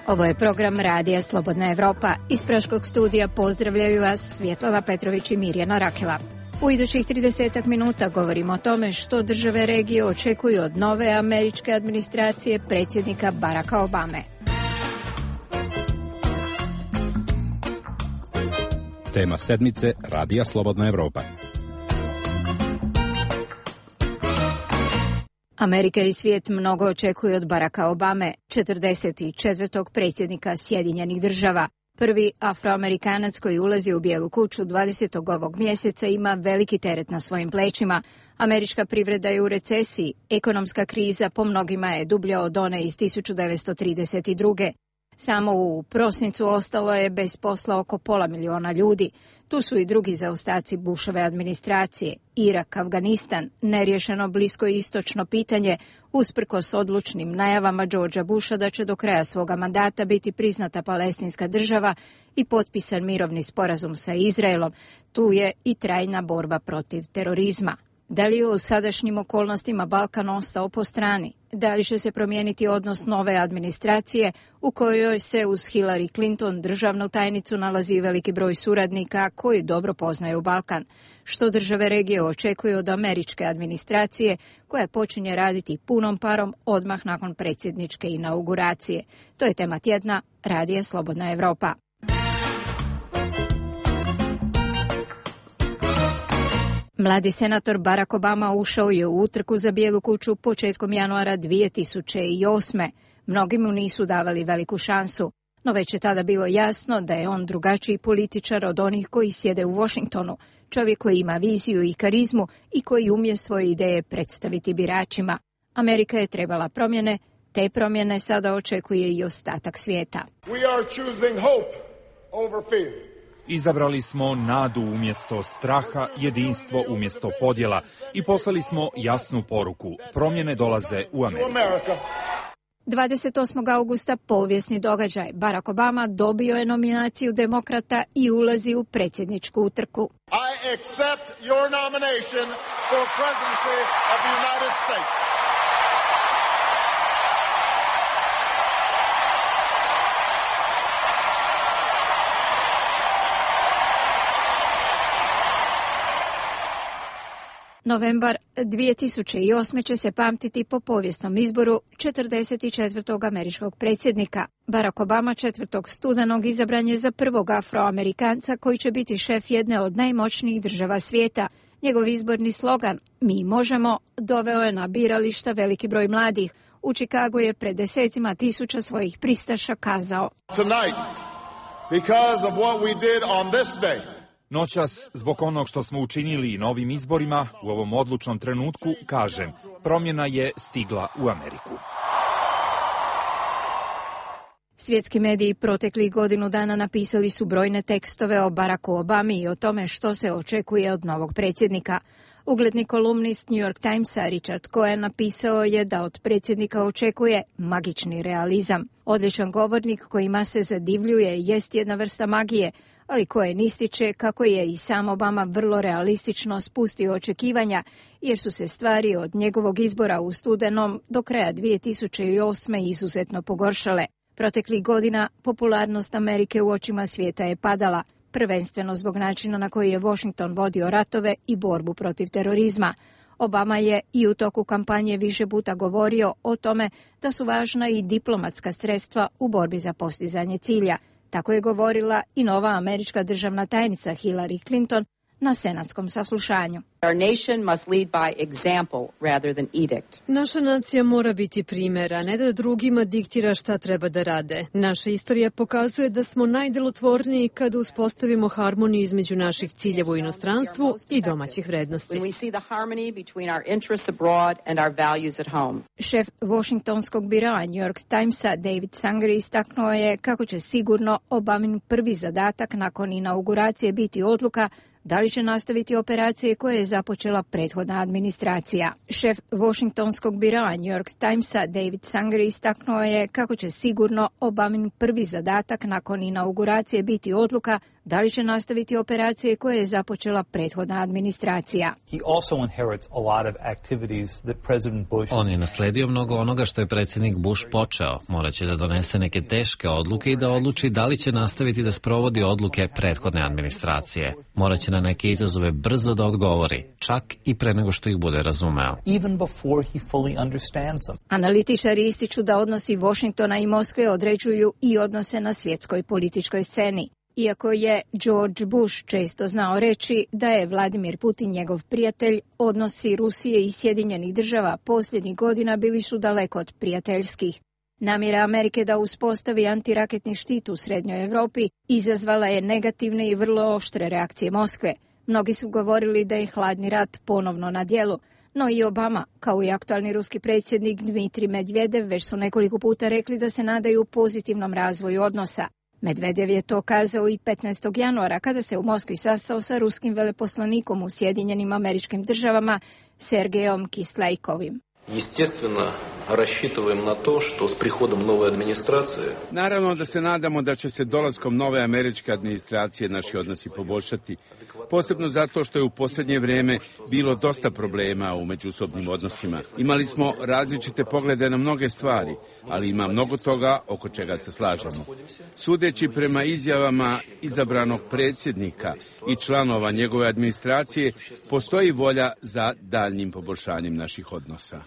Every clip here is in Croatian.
Ovo je program Radija Slobodna Evropa. Iz Praškog studija pozdravljaju vas Svjetlana Petrović i Mirjana Rakela. U idućih 30 minuta govorimo o tome što države regije očekuju od nove američke administracije predsjednika Baracka Obame. Tema sedmice Radija Slobodna Evropa. Amerika i svijet mnogo očekuju od Baracka Obame, 44. predsjednika Sjedinjenih država. Prvi afroamerikanac koji ulazi u Bijelu kuću 20. ovog mjeseca ima veliki teret na svojim plećima. Američka privreda je u recesiji, ekonomska kriza po mnogima je dublja od one iz 1932. Samo u prosincu ostalo je bez posla oko 500.000 ljudi. Tu su i drugi zaostaci Bushove administracije, Irak, Afganistan, neriješeno bliskoistočno pitanje, usprkos odlučnim najavama Georgea Busha da će do kraja svoga mandata biti priznata palestinska država i potpisan mirovni sporazum sa Izraelom. Tu je i trajna borba protiv terorizma. Da li je u sadašnjim okolnostima Balkan ostao po strani? Da li će se promijeniti odnos nove administracije u kojoj se uz Hillary Clinton, državnu tajnicu, nalazi veliki broj suradnika koji dobro poznaju Balkan? Što države regije očekuju od američke administracije koja počinje raditi punom parom odmah nakon predsjedničke inauguracije? To je tema tjedna Radija Slobodna Evropa. Mladi senator Barack Obama ušao je u utrku za Bijelu kuću početkom januara 2008. Mnogi mu nisu davali veliku šansu, no već je tada bilo jasno da je on drugačiji političar od onih koji sjede u Washingtonu, čovjek koji ima viziju i karizmu i koji umije svoje ideje predstaviti biračima. Amerika je trebala promjene, te promjene sada očekuje i ostatak svijeta. We are choosing hope over fear. Izabrali smo nadu umjesto straha, jedinstvo umjesto podjela i poslali smo jasnu poruku. Promjene dolaze u Ameriku. 28. augusta povijesni događaj. Barack Obama dobio je nominaciju demokrata i ulazi u predsjedničku utrku. I accept your nomination for presidency of the United States. Novembar 2008. će se pamtiti po povijesnom izboru 44. američkog predsjednika. Barack Obama 4. studenog izabran je za prvog afroamerikanca koji će biti šef jedne od najmoćnijih država svijeta. Njegov izborni slogan "Mi možemo" doveo je na birališta veliki broj mladih. U Chicagu je pred desecima tisuća svojih pristaša kazao: Tonight, because of what we did on this day, noćas, zbog onog što smo učinili na ovim izborima, u ovom odlučnom trenutku, kažem, promjena je stigla u Ameriku. Svjetski mediji proteklih godinu dana napisali su brojne tekstove o Baracku Obami i o tome što se očekuje od novog predsjednika. Ugledni kolumnist New York Timesa Richard Cohen napisao je da od predsjednika očekuje magični realizam. Odličan govornik kojima se zadivljuje jest jedna vrsta magije, ali Cohen ističe kako je i sam Obama vrlo realistično spustio očekivanja, jer su se stvari od njegovog izbora u studenom do kraja 2008. izuzetno pogoršale. Proteklih godina popularnost Amerike u očima svijeta je padala, prvenstveno zbog načina na koji je Washington vodio ratove i borbu protiv terorizma. Obama je i u toku kampanje više puta govorio o tome da su važna i diplomatska sredstva u borbi za postizanje cilja. Tako je govorila i nova američka državna tajnica Hillary Clinton na senatskom saslušanju. Our nation must lead by example rather than edict. Naša nacija mora biti primjer, a ne da drugima diktira šta treba da rade. Naša istorija pokazuje da smo najdelotvorniji kada uspostavimo harmoniju između naših ciljeva u inostranstvu i domaćih vrednosti. When we see the harmony between our interests abroad and our values at home. Šef Washingtonskog biroa New York Timesa David Sanger istaknuo je kako će sigurno Obamin prvi zadatak nakon inauguracije biti odluka da li će nastaviti operacije koje je započela prethodna administracija. Šef Washingtonskog biroa New York Timesa David Sanger istaknuo je kako će sigurno Obamin prvi zadatak nakon inauguracije biti odluka da li će nastaviti operacije koje je započela prethodna administracija. On je nasledio mnogo onoga što je predsjednik Bush počeo. Moraće da donese neke teške odluke i da odluči da li će nastaviti da sprovodi odluke prethodne administracije. Moraće na neke izazove brzo da odgovori, čak i pre nego što ih bude razumeo. Analitičari ističu da odnosi Washingtona i Moskve određuju i odnose na svjetskoj političkoj sceni. Iako je George Bush često znao reći da je Vladimir Putin njegov prijatelj, odnosi Rusije i Sjedinjenih država posljednjih godina bili su daleko od prijateljskih. Namjera Amerike da uspostavi antiraketni štit u Srednjoj Europi izazvala je negativne i vrlo oštre reakcije Moskve. Mnogi su govorili da je hladni rat ponovno na djelu, no i Obama, kao i aktualni ruski predsjednik Dmitrij Medvedev, već su nekoliko puta rekli da se nadaju pozitivnom razvoju odnosa. Medvedev je to kazao i 15. januara kada se u Moskvi sastao sa ruskim veleposlanikom u Sjedinjenim Američkim Državama Sergejom Kislajkovim. Naravno da se nadamo da će se dolaskom nove američke administracije naši odnosi poboljšati, posebno zato što je u posljednje vrijeme bilo dosta problema u međusobnim odnosima. Imali smo različite poglede na mnoge stvari, ali ima mnogo toga oko čega se slažemo. Sudeći prema izjavama izabranog predsjednika i članova njegove administracije, postoji volja za daljnjim poboljšanjem naših odnosa.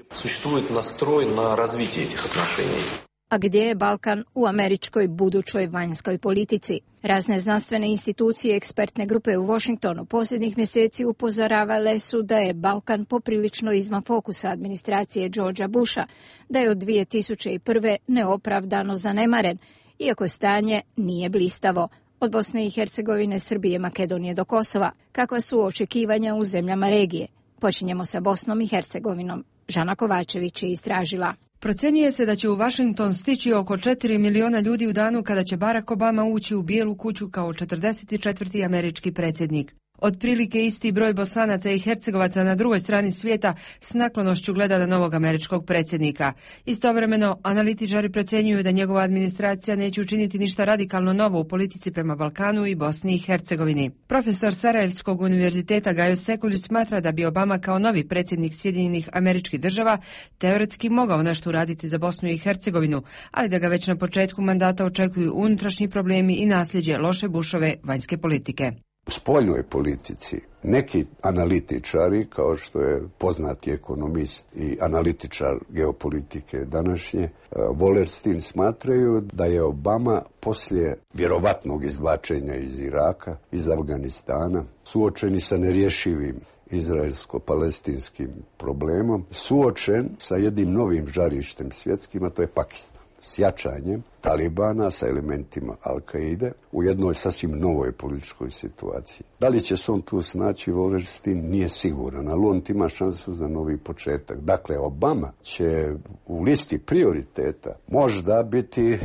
A gdje je Balkan u američkoj budućoj vanjskoj politici? Razne znanstvene institucije i ekspertne grupe u Washingtonu posljednjih mjeseci upozoravale su da je Balkan poprilično izvan fokusa administracije Georgea Busha, da je od 2001. neopravdano zanemaren, iako stanje nije blistavo. Od Bosne i Hercegovine, Srbije, Makedonije do Kosova, kakva su očekivanja u zemljama regije? Počinjemo sa Bosnom i Hercegovinom. Žana Kovačević je istražila. Procjenjuje se da će u Washington stići oko 4 miliona ljudi u danu kada će Barack Obama ući u Bijelu kuću kao 44. američki predsjednik. Otprilike isti broj Bosanaca i Hercegovaca na drugoj strani svijeta s naklonošću gleda na novog američkog predsjednika. Istovremeno, analitičari procjenjuju da njegova administracija neće učiniti ništa radikalno novo u politici prema Balkanu i Bosni i Hercegovini. Profesor Sarajevskog univerziteta Gajo Sekulić smatra da bi Obama kao novi predsjednik Sjedinjenih Američkih Država teoretski mogao nešto uraditi za Bosnu i Hercegovinu, ali da ga već na početku mandata očekuju unutrašnji problemi i nasljeđe loše Bushove vanjske politike. U spoljnoj politici neki analitičari, kao što je poznati ekonomist i analitičar geopolitike današnje, Wallerstein, smatraju da je Obama poslije vjerovatnog izvlačenja iz Iraka, iz Afganistana, suočeni sa nerješivim izraelsko-palestinskim problemom, suočen sa jednim novim žarištem svjetskim, a to je Pakistan. S jačanjem Talibana sa elementima Al-Kaide u jednoj sasvim novoj političkoj situaciji. Da li će se on tu snaći, Wallerstein nije siguran, ali on ima šansu za novi početak. Dakle, Obama će u listi prioriteta možda biti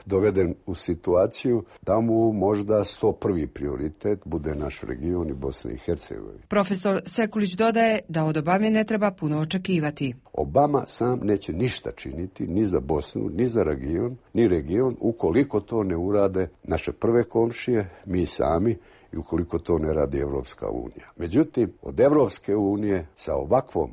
doveden u situaciju da mu možda 101. prioritet bude naš region i Bosna i Hercegovina. Profesor Sekulić dodaje da od Obame ne treba puno očekivati. Obama sam neće ništa činiti ni za Bosnu, ni za region, ukoliko to ne urade naše prve komšije, mi sami, i ukoliko to ne radi Evropska unija. Međutim, od Evropske unije sa ovakvom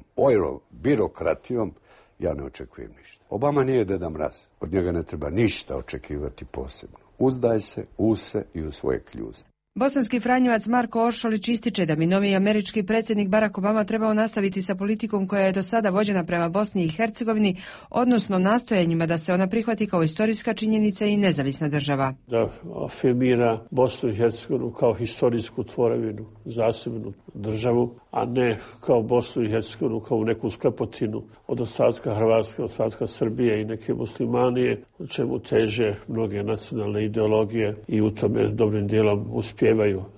birokratijom ja ne očekujem ništa. Obama nije Deda Mraz. Od njega ne treba ništa očekivati posebno. Uzdaj se u se i u svoje kljuse. Bosanski franjevac Marko Oršolić ističe da bi novi američki predsjednik Barack Obama trebao nastaviti sa politikom koja je do sada vođena prema Bosni i Hercegovini, odnosno nastojanjima da se ona prihvati kao istorijska činjenica i nezavisna država. Da afirmira Bosnu i Hercegovinu kao historijsku tvorevinu, zasebnu državu, a ne kao Bosnu i Hercegovinu kao neku sklepotinu od ostatka Hrvatske, ostatka Srbije i neke muslimanije, u čemu teže mnoge nacionalne ideologije i u tome dobrim dijelom uspijevaju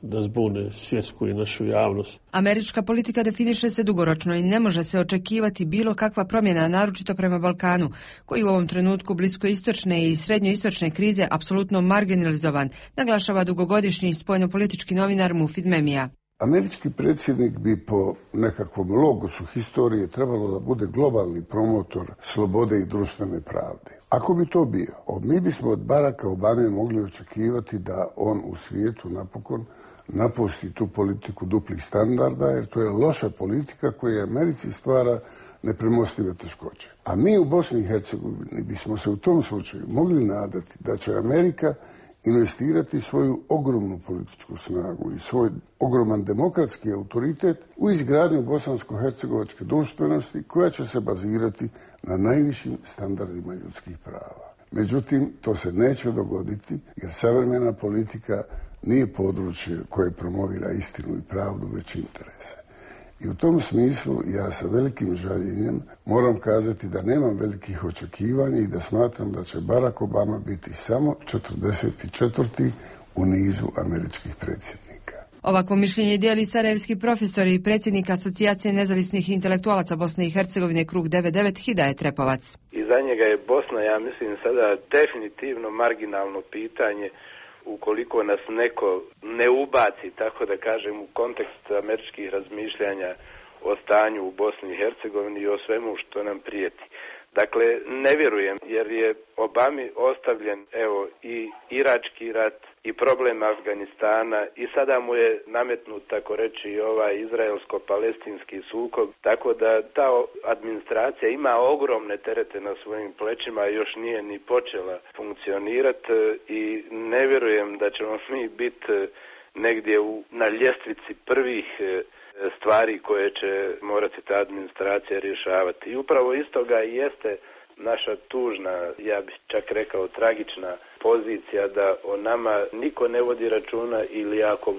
da zbune svjetsku i našu javnost. Američka politika definiše se dugoročno i ne može se očekivati bilo kakva promjena, naročito prema Balkanu, koji u ovom trenutku bliskoistočne i srednjoistočne krize apsolutno marginalizovan, naglašava dugogodišnji spoljnopolitički novinar Mufid Memija. Američki predsjednik bi po nekakvom logosu historije trebalo da bude globalni promotor slobode i društvene pravde. Ako bi to bio, mi bismo od Baracka Obame mogli očekivati da on u svijetu napokon napusti tu politiku duplih standarda, jer to je loša politika koja Americi stvara nepremostive teškoće. A mi u Bosni i Hercegovini bismo se u tom slučaju mogli nadati da će Amerika investirati svoju ogromnu političku snagu i svoj ogroman demokratski autoritet u izgradnju bosansko-hercegovačke društvenosti koja će se bazirati na najvišim standardima ljudskih prava. Međutim, to se neće dogoditi jer savremena politika nije područje koje promovira istinu i pravdu, već interese. I u tom smislu ja sa velikim žaljenjem moram kazati da nemam velikih očekivanja i da smatram da će Barack Obama biti samo 44. u nizu američkih predsjednika. Ovakvo mišljenje dijeli sarajevski profesor i predsjednik Asocijacije nezavisnih intelektualaca Bosne i Hercegovine Krug 99 Hidajet Repovac. I za njega je Bosna, ja mislim, sada definitivno marginalno pitanje ukoliko nas neko ne ubaci, tako da kažem, u kontekst američkih razmišljanja o stanju u Bosni i Hercegovini i o svemu što nam prijeti. Dakle, ne vjerujem, jer je Obami ostavljen, evo, i irački rat i problem Afganistana i sada mu je nametnut, tako reći, i ovaj izraelsko-palestinski sukob, tako da ta administracija ima ogromne terete na svojim plećima i još nije ni počela funkcionirati i ne vjerujem da ćemo mi biti negdje na ljestvici prvih stvari koje će morati ta administracija rješavati. I upravo iz toga i jeste naša tužna, ja bih čak rekao tragična pozicija da o nama niko ne vodi računa ili ako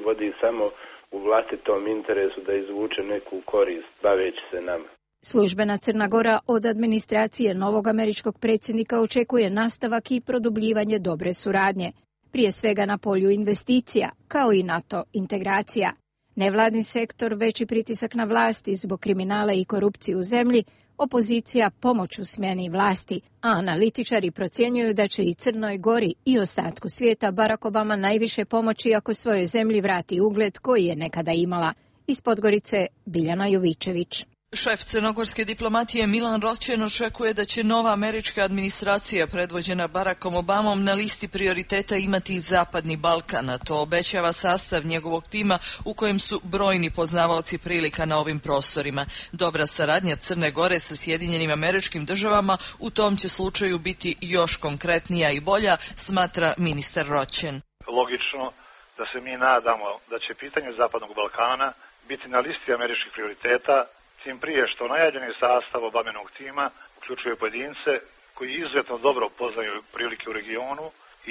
vodi samo u vlastitom interesu da izvuče neku korist baveći se nama. Službena Crna Gora od administracije novog američkog predsjednika očekuje nastavak i produbljivanje dobre suradnje, prije svega na polju investicija, kao i NATO integracija. Nevladin sektor, veći pritisak na vlasti zbog kriminala i korupcije u zemlji, opozicija pomoć u smjeni vlasti, a analitičari procjenjuju da će i Crnoj Gori i ostatku svijeta Barack Obama najviše pomoći ako svojoj zemlji vrati ugled koji je nekada imala. Iz Podgorice Biljana Jovičević. Šef crnogorske diplomatije Milan Roćen očekuje da će nova američka administracija predvođena Barackom Obamom na listi prioriteta imati Zapadni Balkan, a to obećava sastav njegovog tima u kojem su brojni poznavaoci prilika na ovim prostorima. Dobra saradnja Crne Gore sa Sjedinjenim Američkim Državama u tom će slučaju biti još konkretnija i bolja, smatra ministar Roćen. Logično da se mi nadamo da će pitanje Zapadnog Balkana biti na listi američkih prioriteta, tim prije što najavljeni sastav Obamenog tima uključuje pojedince koji izuzetno dobro poznaju prilike u regionu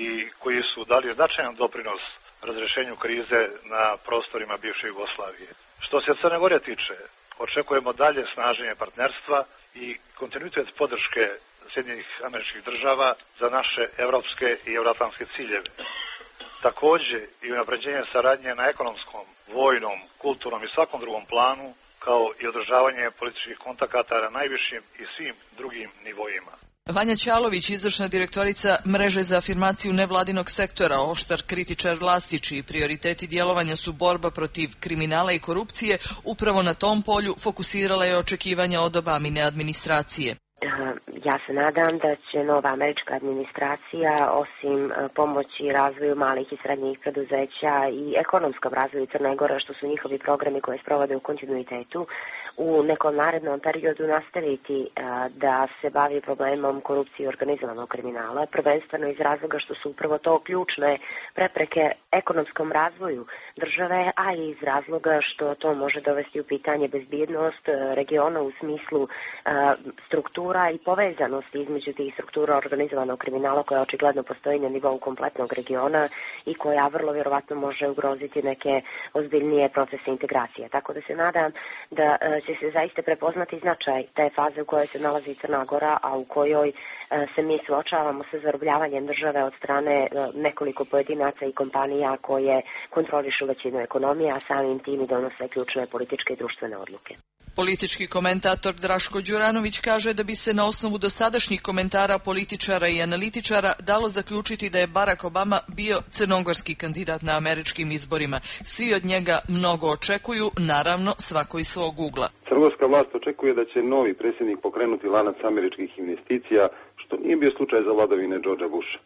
i koji su dali značajan doprinos razrješenju krize na prostorima bivše Jugoslavije. Što se Crne Gore tiče, očekujemo dalje snaženje partnerstva i kontinuitet podrške Sjedinjenih Američkih Država za naše evropske i euroatlantske ciljeve. Također i unapređenje saradnje na ekonomskom, vojnom, kulturnom i svakom drugom planu, kao i održavanje političkih kontakata na najvišim i svim drugim nivoima. Vanja Ćalović, izvršna direktorica Mreže za afirmaciju nevladinog sektora, oštar kritičar vlasti čiji prioriteti djelovanja su borba protiv kriminala i korupcije, upravo na tom polju fokusirala je očekivanja od Obamine administracije. Ja se nadam da će nova američka administracija osim pomoći razvoju malih i srednjih preduzeća i ekonomskom razvoju Crne Gore, što su njihovi programi koje sprovode u kontinuitetu, u nekom narednom periodu nastaviti da se bavi problemom korupcije i organizovanog kriminala, prvenstveno iz razloga što su upravo to ključne prepreke ekonomskom razvoju države, a i iz razloga što to može dovesti u pitanje bezbjednost regiona u smislu struktura i povezanosti između tih struktura organizovanog kriminala koja očigledno postoji na nivou kompletnog regiona i koja vrlo vjerovatno može ugroziti neke ozbiljnije procese integracije. Tako da se nadam da će se zaista prepoznati značaj te faze u kojoj se nalazi Crna Gora, a u kojoj se mi suočavamo sa zarobljavanjem države od strane nekoliko pojedinaca i kompanija koje kontrolišu većinu ekonomije, a samim tim i donose ključne političke i društvene odluke. Politički komentator Draško Đuranović kaže da bi se na osnovu dosadašnjih komentara političara i analitičara dalo zaključiti da je Barack Obama bio crnogorski kandidat na američkim izborima. Svi od njega mnogo očekuju, naravno svako iz svog ugla. Crnogorska vlast očekuje da će novi predsjednik pokrenuti lanac američkih investicija, što nije bio slučaj za vladavine Georgea Busha.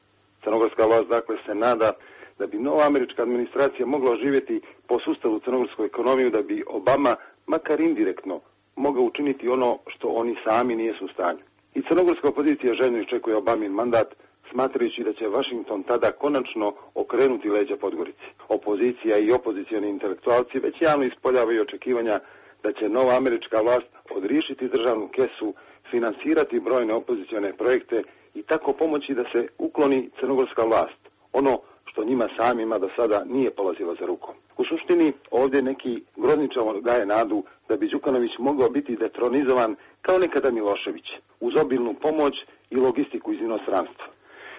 Crnogorska vlast dakle se nada da bi nova američka administracija mogla oživjeti po sustavu crnogorsku ekonomiju, da bi Obama makar indirektno mogao učiniti ono što oni sami nijesu u stanju. I crnogorska opozicija željno iščekuje Obamin mandat, smatrajući da će Washington tada konačno okrenuti leđa Podgorici. Opozicija i opozicioni intelektualci već javno ispoljavaju očekivanja da će nova američka vlast odriješiti državnu kesu, finansirati brojne opozicione projekte i tako pomoći da se ukloni crnogorska vlast, ono što njima samima do sada nije polazilo za rukom. U suštini ovdje neki grozničavo daje nadu da bi Đukanović mogao biti detronizovan kao nekada Milošević, uz obilnu pomoć i logistiku iz inostranstva.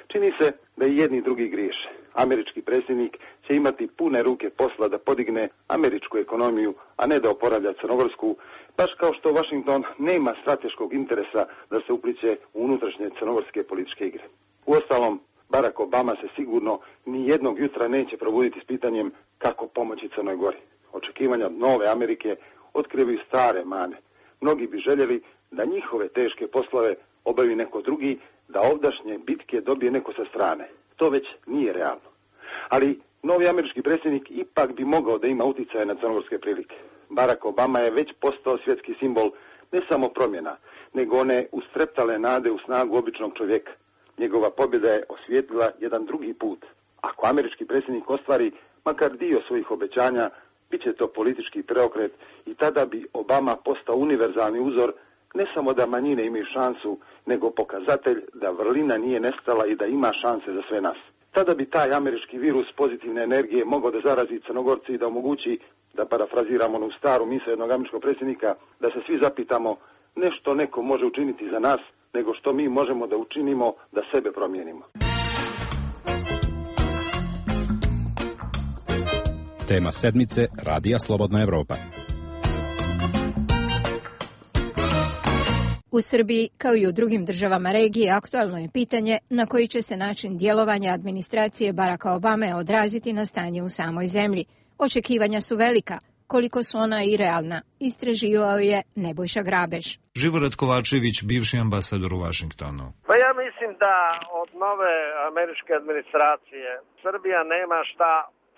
Čini se da i jedni i drugi griješe. Američki predsjednik će imati pune ruke posla da podigne američku ekonomiju, a ne da oporavlja crnogorsku, baš kao što Washington nema strateškog interesa da se upliće u unutrašnje crnogorske političke igre. Uostalom, Barack Obama se sigurno ni jednog jutra neće probuditi s pitanjem kako pomoći Crnoj Gori. Očekivanja od nove Amerike otkrivaju stare mane. Mnogi bi željeli da njihove teške poslove obavi neko drugi, da ovdašnje bitke dobije neko sa strane. To već nije realno. Ali novi američki predsjednik ipak bi mogao da ima utjecaje na crnogorske prilike. Barack Obama je već postao svjetski simbol ne samo promjena, nego one ustreptale nade u snagu običnog čovjeka. Njegova pobjeda je osvijetlila jedan drugi put. Ako američki predsjednik ostvari makar dio svojih obećanja, bit će to politički preokret i tada bi Obama postao univerzalni uzor, ne samo da manjine imaju šansu, nego pokazatelj da vrlina nije nestala i da ima šanse za sve nas. Tada bi taj američki virus pozitivne energije mogao da zarazi Crnogorci i da omogući, da parafraziramo onu staru misao jednog američkog predsjednika, da se svi zapitamo ne što neko može učiniti za nas, nego što mi možemo da učinimo da sebe promijenimo. Tema sedmice Radija Slobodna Evropa. U Srbiji, kao i u drugim državama regije, aktualno je pitanje na koji će se način djelovanja administracije Baracka Obame odraziti na stanje u samoj zemlji. Očekivanja su velika. Koliko su ona i realna, istraživao je Nebojša Grabež. Živorad Kovačević, bivši ambasador u Vašingtonu. Pa ja mislim da od nove američke administracije Srbija nema šta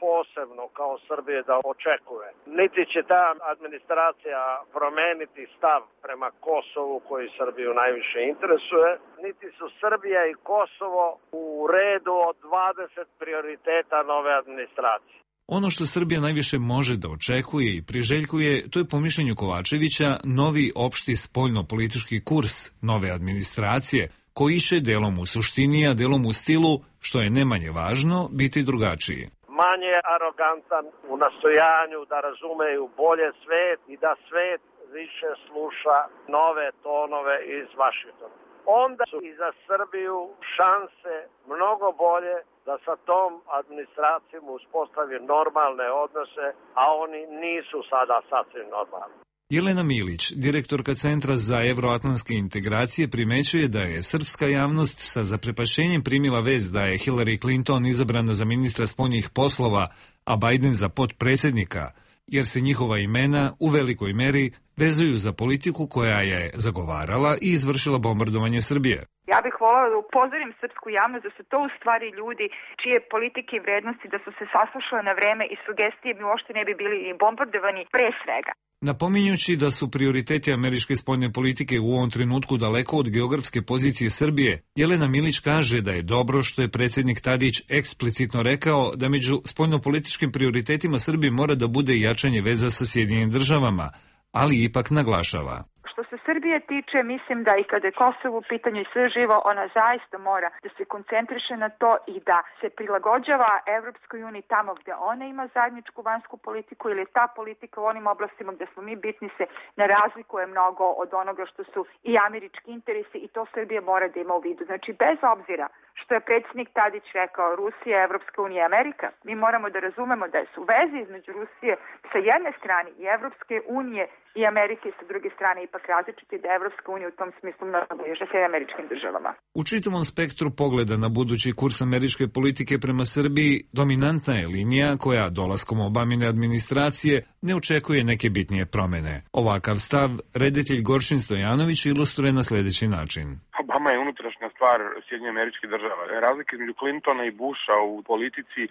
posebno kao Srbije da očekuje. Niti će ta administracija promeniti stav prema Kosovu koji Srbiju najviše interesuje, niti su Srbija i Kosovo u redu od 20 prioriteta nove administracije. Ono što Srbija najviše može da očekuje i priželjkuje, to je po mišljenju Kovačevića novi opšti spoljno-politički kurs nove administracije, koji će delom u suštini, a delom u stilu, što je ne manje važno, biti drugačiji. Manje arogantan u nastojanju da razumeju bolje svet i da svet više sluša nove tonove iz Vašingtona. Onda su i za Srbiju šanse mnogo bolje da sa tom administracijom uspostavi normalne odnose, a oni nisu sada sasvim normalni. Jelena Milić, direktorka Centra za evroatlantske integracije, primećuje da je srpska javnost sa zaprepašćenjem primila vest da je Hillary Clinton izabrana za ministra spoljnih poslova, a Biden za potpredsjednika, jer se njihova imena u velikoj meri vezuju za politiku koja je zagovarala i izvršila bombardovanje Srbije. Ja bih voljela da upozorim srpsku javnost da su to u stvari ljudi čije politike i vrednosti da su se saslušale na vreme i sugestije bi uopšte ne bi bili bombardovani pre svega. Napominjući da su prioriteti američke spoljne politike u ovom trenutku daleko od geografske pozicije Srbije, Jelena Milić kaže da je dobro što je predsjednik Tadić eksplicitno rekao da među spoljnopolitičkim prioritetima Srbije mora da bude jačanje veza sa Sjedinjenim državama, ali ipak naglašava. Što se Srbije tiče, mislim da i kada je Kosovo u pitanju i sve živo, ona zaista mora da se koncentriše na to i da se prilagođava Evropskoj uniji tamo gde ona ima zajedničku vanjsku politiku ili ta politika u onim oblastima gde smo mi bitni se ne razlikuje mnogo od onoga što su i američki interesi i to Srbija mora da ima u vidu. Znači, bez obzira što je predsjednik Tadić rekao, Rusija, Evropska unija, Amerika. Mi moramo da razumemo da su veze između Rusije sa jedne strane i Evropske unije i Amerike sa druge strane ipak različiti, da je Evropska unija u tom smislu mnogo bliže sa američkim državama. U čitavom spektru pogleda na budući kurs američke politike prema Srbiji, dominantna je linija koja dolaskom Obamine administracije ne očekuje neke bitnije promene. Ovakav stav reditelj Goršin Stojanović ilustruje na sljedeći način. Obama je unutrašnja stvar Sjedinjenih Američkih Država. Razlika između Clintona i Busha u politici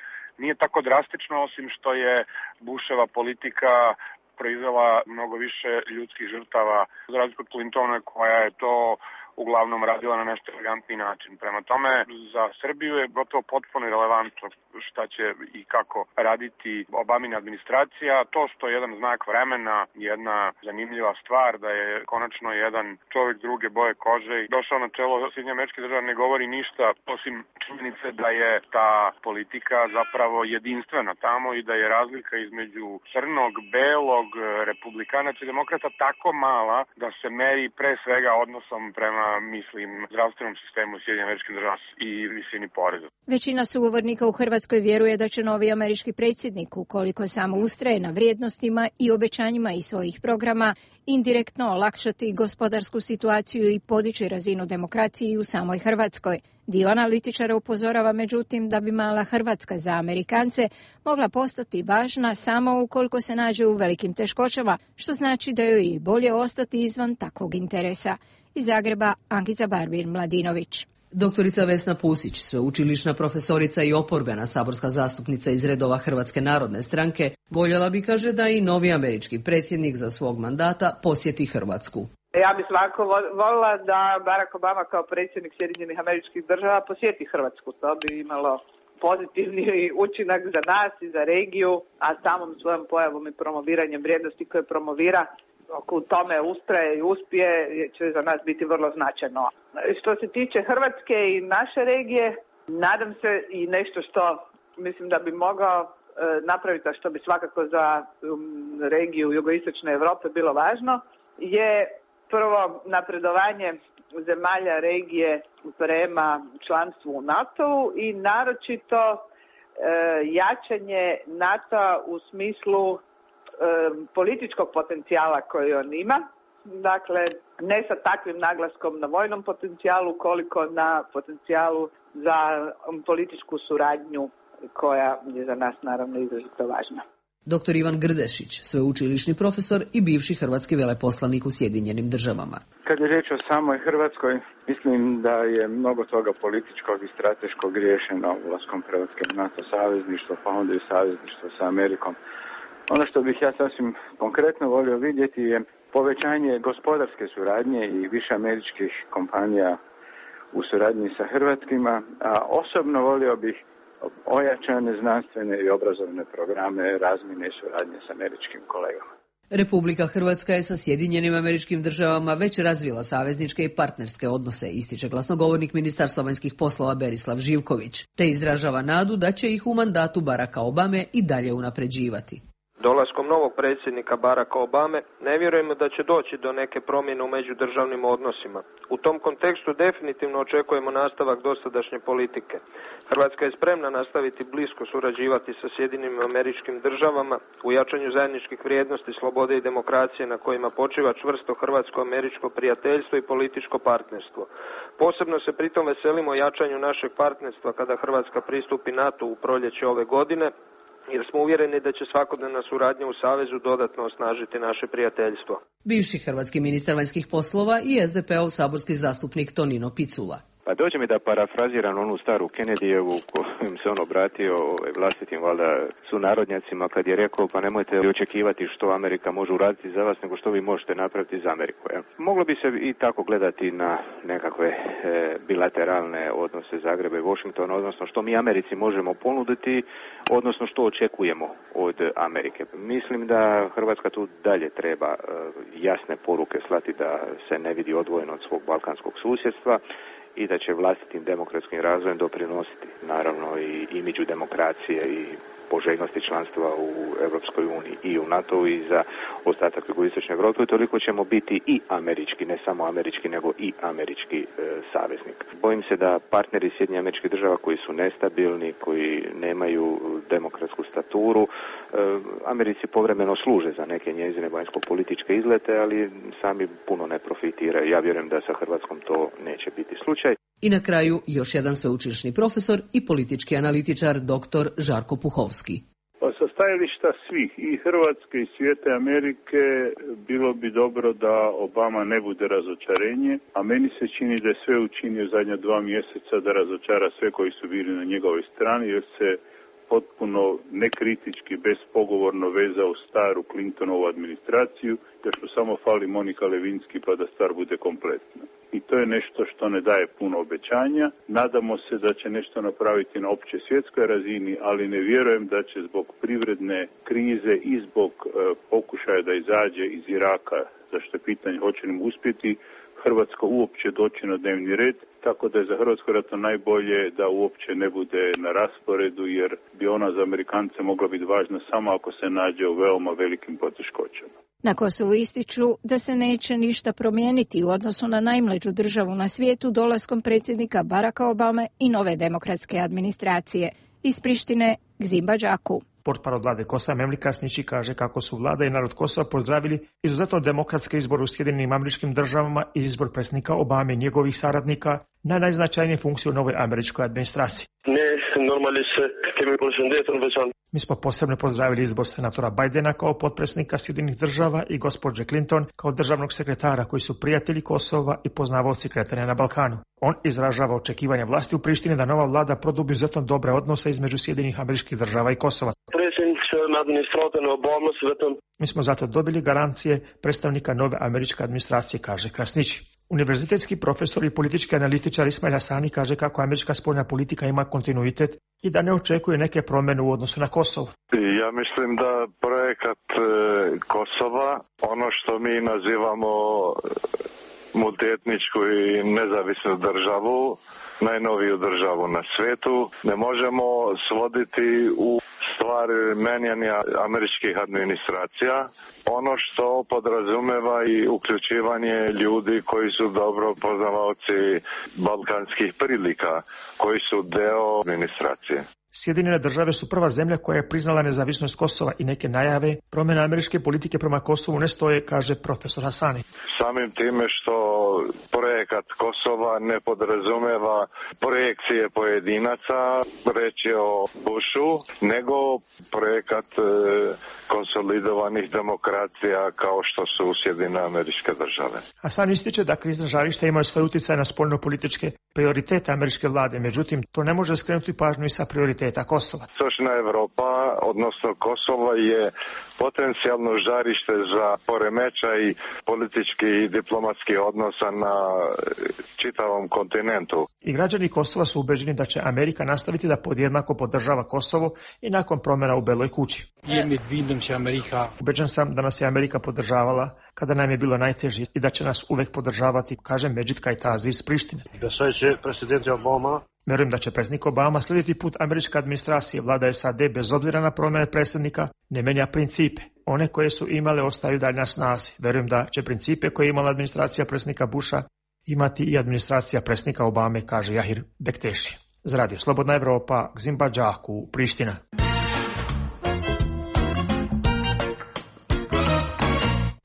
nije tako drastična, osim što je Busheva politika proizvela mnogo više ljudskih žrtava, za razliku od Clintona koja je to uglavnom radila na nešto elegantni način. Prema tome, za Srbiju je gotovo potpuno irelevantno šta će i kako raditi Obamina administracija. To što je jedan znak vremena, jedna zanimljiva stvar da je konačno jedan čovjek druge boje kože i došao na čelo Sjedinjenih Američkih Država ne govori ništa osim činjenice da je ta politika zapravo jedinstvena tamo i da je razlika između crnog, belog, republikanaca i demokrata tako mala da se meri pre svega odnosom prema zdravstvenom sistemu Sjedinjenih Američkih Država i visini poreza. Većina sugovornika u Hrvatskoj vjeruje da će novi američki predsjednik, ukoliko samo ustraje na vrijednostima i obećanjima iz svojih programa, indirektno olakšati gospodarsku situaciju i podići razinu demokracije u samoj Hrvatskoj. Dio analitičara upozorava međutim da bi mala Hrvatska za Amerikance mogla postati važna samo ukoliko se nađe u velikim teškoćama, što znači da joj je bolje ostati izvan takvog interesa. Iz Zagreba, Ankica Barbir-Mladinović. Doktorica Vesna Pusić, sveučilišna profesorica i oporbena saborska zastupnica iz redova Hrvatske narodne stranke, voljela bi, kaže, da i novi američki predsjednik za svog mandata posjeti Hrvatsku. Ja bih svakako voljela da Barack Obama kao predsjednik Sjedinjenih Američkih Država posjeti Hrvatsku. To bi imalo pozitivni učinak za nas i za regiju, a samom svojom pojavom i promoviranjem vrijednosti koje promovira, ako u tome ustraje i uspije, će za nas biti vrlo značajno. Što se tiče Hrvatske i naše regije, nadam se i nešto što mislim da bi mogao napraviti, a što bi svakako za regiju jugoistočne Europe bilo važno, je prvo napredovanje zemalja regije prema članstvu u NATO-u i naročito jačanje NATO-a u smislu političkog potencijala koji on ima. Dakle, ne sa takvim naglaskom na vojnom potencijalu koliko na potencijalu za političku suradnju koja je za nas naravno izrazito važna. Dr. Ivan Grdešić, sveučilišni profesor i bivši hrvatski veleposlanik u Sjedinjenim Državama. Kad je riječ o samoj Hrvatskoj, mislim da je mnogo toga političkog i strateškog riješeno ulaskom Hrvatske u NATO savezništvo, pa onda i savezništvo sa Amerikom. Ono što bih ja sasvim konkretno volio vidjeti je povećanje gospodarske suradnje i više američkih kompanija u suradnji sa hrvatskima, a osobno volio bih ojačane znanstvene i obrazovne programe razmjene i suradnje s američkim kolegama. Republika Hrvatska je sa Sjedinjenim Američkim Državama već razvila savezničke i partnerske odnose, ističe glasnogovornik Ministarstva vanjskih poslova Berislav Živković, te izražava nadu da će ih u mandatu Baracka Obame i dalje unapređivati. Dolaskom novog predsjednika Baracka Obame ne vjerujemo da će doći do neke promjene u međudržavnim odnosima. U tom kontekstu definitivno očekujemo nastavak dosadašnje politike. Hrvatska je spremna nastaviti blisko surađivati sa Sjedinjenim Američkim Državama u jačanju zajedničkih vrijednosti, slobode i demokracije na kojima počiva čvrsto hrvatsko-američko prijateljstvo i političko partnerstvo. Posebno se pritom veselimo jačanju našeg partnerstva kada Hrvatska pristupi NATO u proljeće ove godine, jer smo uvjereni da će svakodnevna suradnja u Savezu dodatno osnažiti naše prijateljstvo. Bivši hrvatski ministar vanjskih poslova i SDP-ov saborski zastupnik Tonino Picula. Pa dođe mi da parafraziram onu staru Kennedyjevu kojim se on obratio vlastitim valjda sunarodnjacima kad je rekao pa nemojte očekivati što Amerika može uraditi za vas nego što vi možete napraviti za Ameriku. Ja. Moglo bi se i tako gledati na nekakve bilateralne odnose Zagreba i Washingtona, odnosno što mi Americi možemo ponuditi, odnosno što očekujemo od Amerike. Mislim da Hrvatska tu dalje treba jasne poruke slati da se ne vidi odvojeno od svog balkanskog susjedstva i da će vlastitim demokratskim razvojem doprinositi naravno i imidžu demokracije i poželjnosti članstva u Europskoj uniji i u NATO i za ostatak jugoistočne Europe, toliko ćemo biti i američki, ne samo američki, nego i američki saveznik. Bojim se da partneri Sjedinjenih Američkih Država koji su nestabilni, koji nemaju demokratsku staturu, Americi povremeno služe za neke njezine vanjsko-političke izlete, ali sami puno ne profitiraju. Ja vjerujem da sa Hrvatskom to neće biti slučaj. I na kraju još jedan sveučilišni profesor i politički analitičar dr. Žarko Puhovski. Pa sa stajališta svih, i Hrvatske i svijeta Amerike, bilo bi dobro da Obama ne bude razočarenje, a meni se čini da je sve učinio zadnja 2 mjeseca da razočara sve koji su bili na njegovoj strani, jer se potpuno nekritički, bespogovorno vezao staru Clintonovu administraciju, da što samo fali Monika Lewinsky pa da stvar bude kompletna. I to je nešto što ne daje puno obećanja. Nadamo se da će nešto napraviti na opće svjetskoj razini, ali ne vjerujem da će zbog privredne krize i zbog pokušaja da izađe iz Iraka, zašto je pitanje hoće li uspjeti, Hrvatska uopće doći na dnevni red, tako da je za Hrvatsku vjerojatno najbolje da uopće ne bude na rasporedu, jer bi ona za Amerikance mogla biti važna samo ako se nađe u veoma velikim poteškoćama. Na Kosovu ističu da se neće ništa promijeniti u odnosu na najmlađu državu na svijetu dolaskom predsjednika Baracka Obame i nove demokratske administracije. Iz Prištine, Gzimba Đaku. Portparol vlade Kosova Memli Krasnići kaže kako su vlada i narod Kosova pozdravili izuzetno demokratske izbore u Sjedinjenim Američkim Državama i izbor predsjednika Obame i njegovih saradnika na najznačajnije funkcije u novoj američkoj administraciji. Mi smo posebno pozdravili izbor senatora Bidena kao potpredsjednika Sjedinjenih Država i gospođe Clinton kao državnog sekretara koji su prijatelji Kosova i poznavaoci kretanja na Balkanu. On izražava očekivanja vlasti u Prištini da nova vlada produbi izuzetno dobre odnose između Sjedinjenih Američkih Država i Kosova. Mi smo zato dobili garancije predstavnika nove američke administracije, kaže Krasnići. Univerzitetski profesor i politički analitičar Ismail Hasani kaže kako američka spoljna politika ima kontinuitet i da ne očekuje neke promjene u odnosu na Kosovo. Ja mislim da projekat Kosova, ono što mi nazivamo multietničku i nezavisnu državu, najnoviju državu na svijetu, ne možemo svoditi u stvar menjanja američkih administracija. Ono što podrazumeva i uključivanje ljudi koji su dobro poznavaoci balkanskih prilika, koji su deo administracije. Sjedinjene Države su prva zemlja koja je priznala nezavisnost Kosova i neke najave promjena američke politike prema Kosovu ne stoje, kaže profesor Hasani. Samim time što projekat Kosova ne podrazumeva projekcije pojedinaca, reći o Bushu, nego projekat konsolidovanih demokracija kao što su Sjedinjene Američke Države. Hasani ističe da krizna žarišta imaju svoj utjecaj na spoljnopolitičke prioritete američke vlade, međutim to ne može skrenuti pažnju i sa prioriteta Kosova. Istočna Europa, odnosno Kosova, je potencijalno žarište za poremećaj političkih i diplomatskih odnosa na čitavom kontinentu. I građani Kosova su ubeđeni da će Amerika nastaviti da podjednako podržava Kosovo i nakon promjena u Beloj kući. Ubeđen sam da nas je Amerika podržavala kada nam je bilo najteže i da će nas uvek podržavati, kaže Medžid Kajtazi iz Prištine. Vjerujem da će predsjednik Obama slijediti put američke administracije. Vlada SAD bez obzira na promjene predsjednika ne menja principe. One koje su imale ostaju dalje na snazi. Vjerujem da će principe koje je imala administracija predsjednika Busha imati i administracija predsjednika Obame, kaže Jahir Bekteši. Za Radio Slobodna Evropa, Gzimba Đaku, Priština.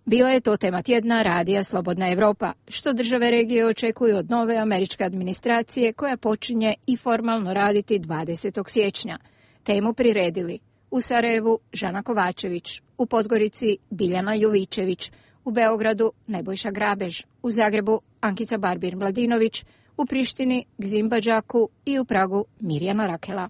Bila je to tema tjedna Radija Slobodna Evropa, što države regije očekuju od nove američke administracije koja počinje i formalno raditi 20. siječnja. Temu priredili u Sarajevu Žana Kovačević, u Podgorici Biljana Jovičević, u Beogradu Nebojša Grabež, u Zagrebu Ankica Barbir-Mladinović, u Prištini Gzimba Đaku i u Pragu Mirjana Rakela.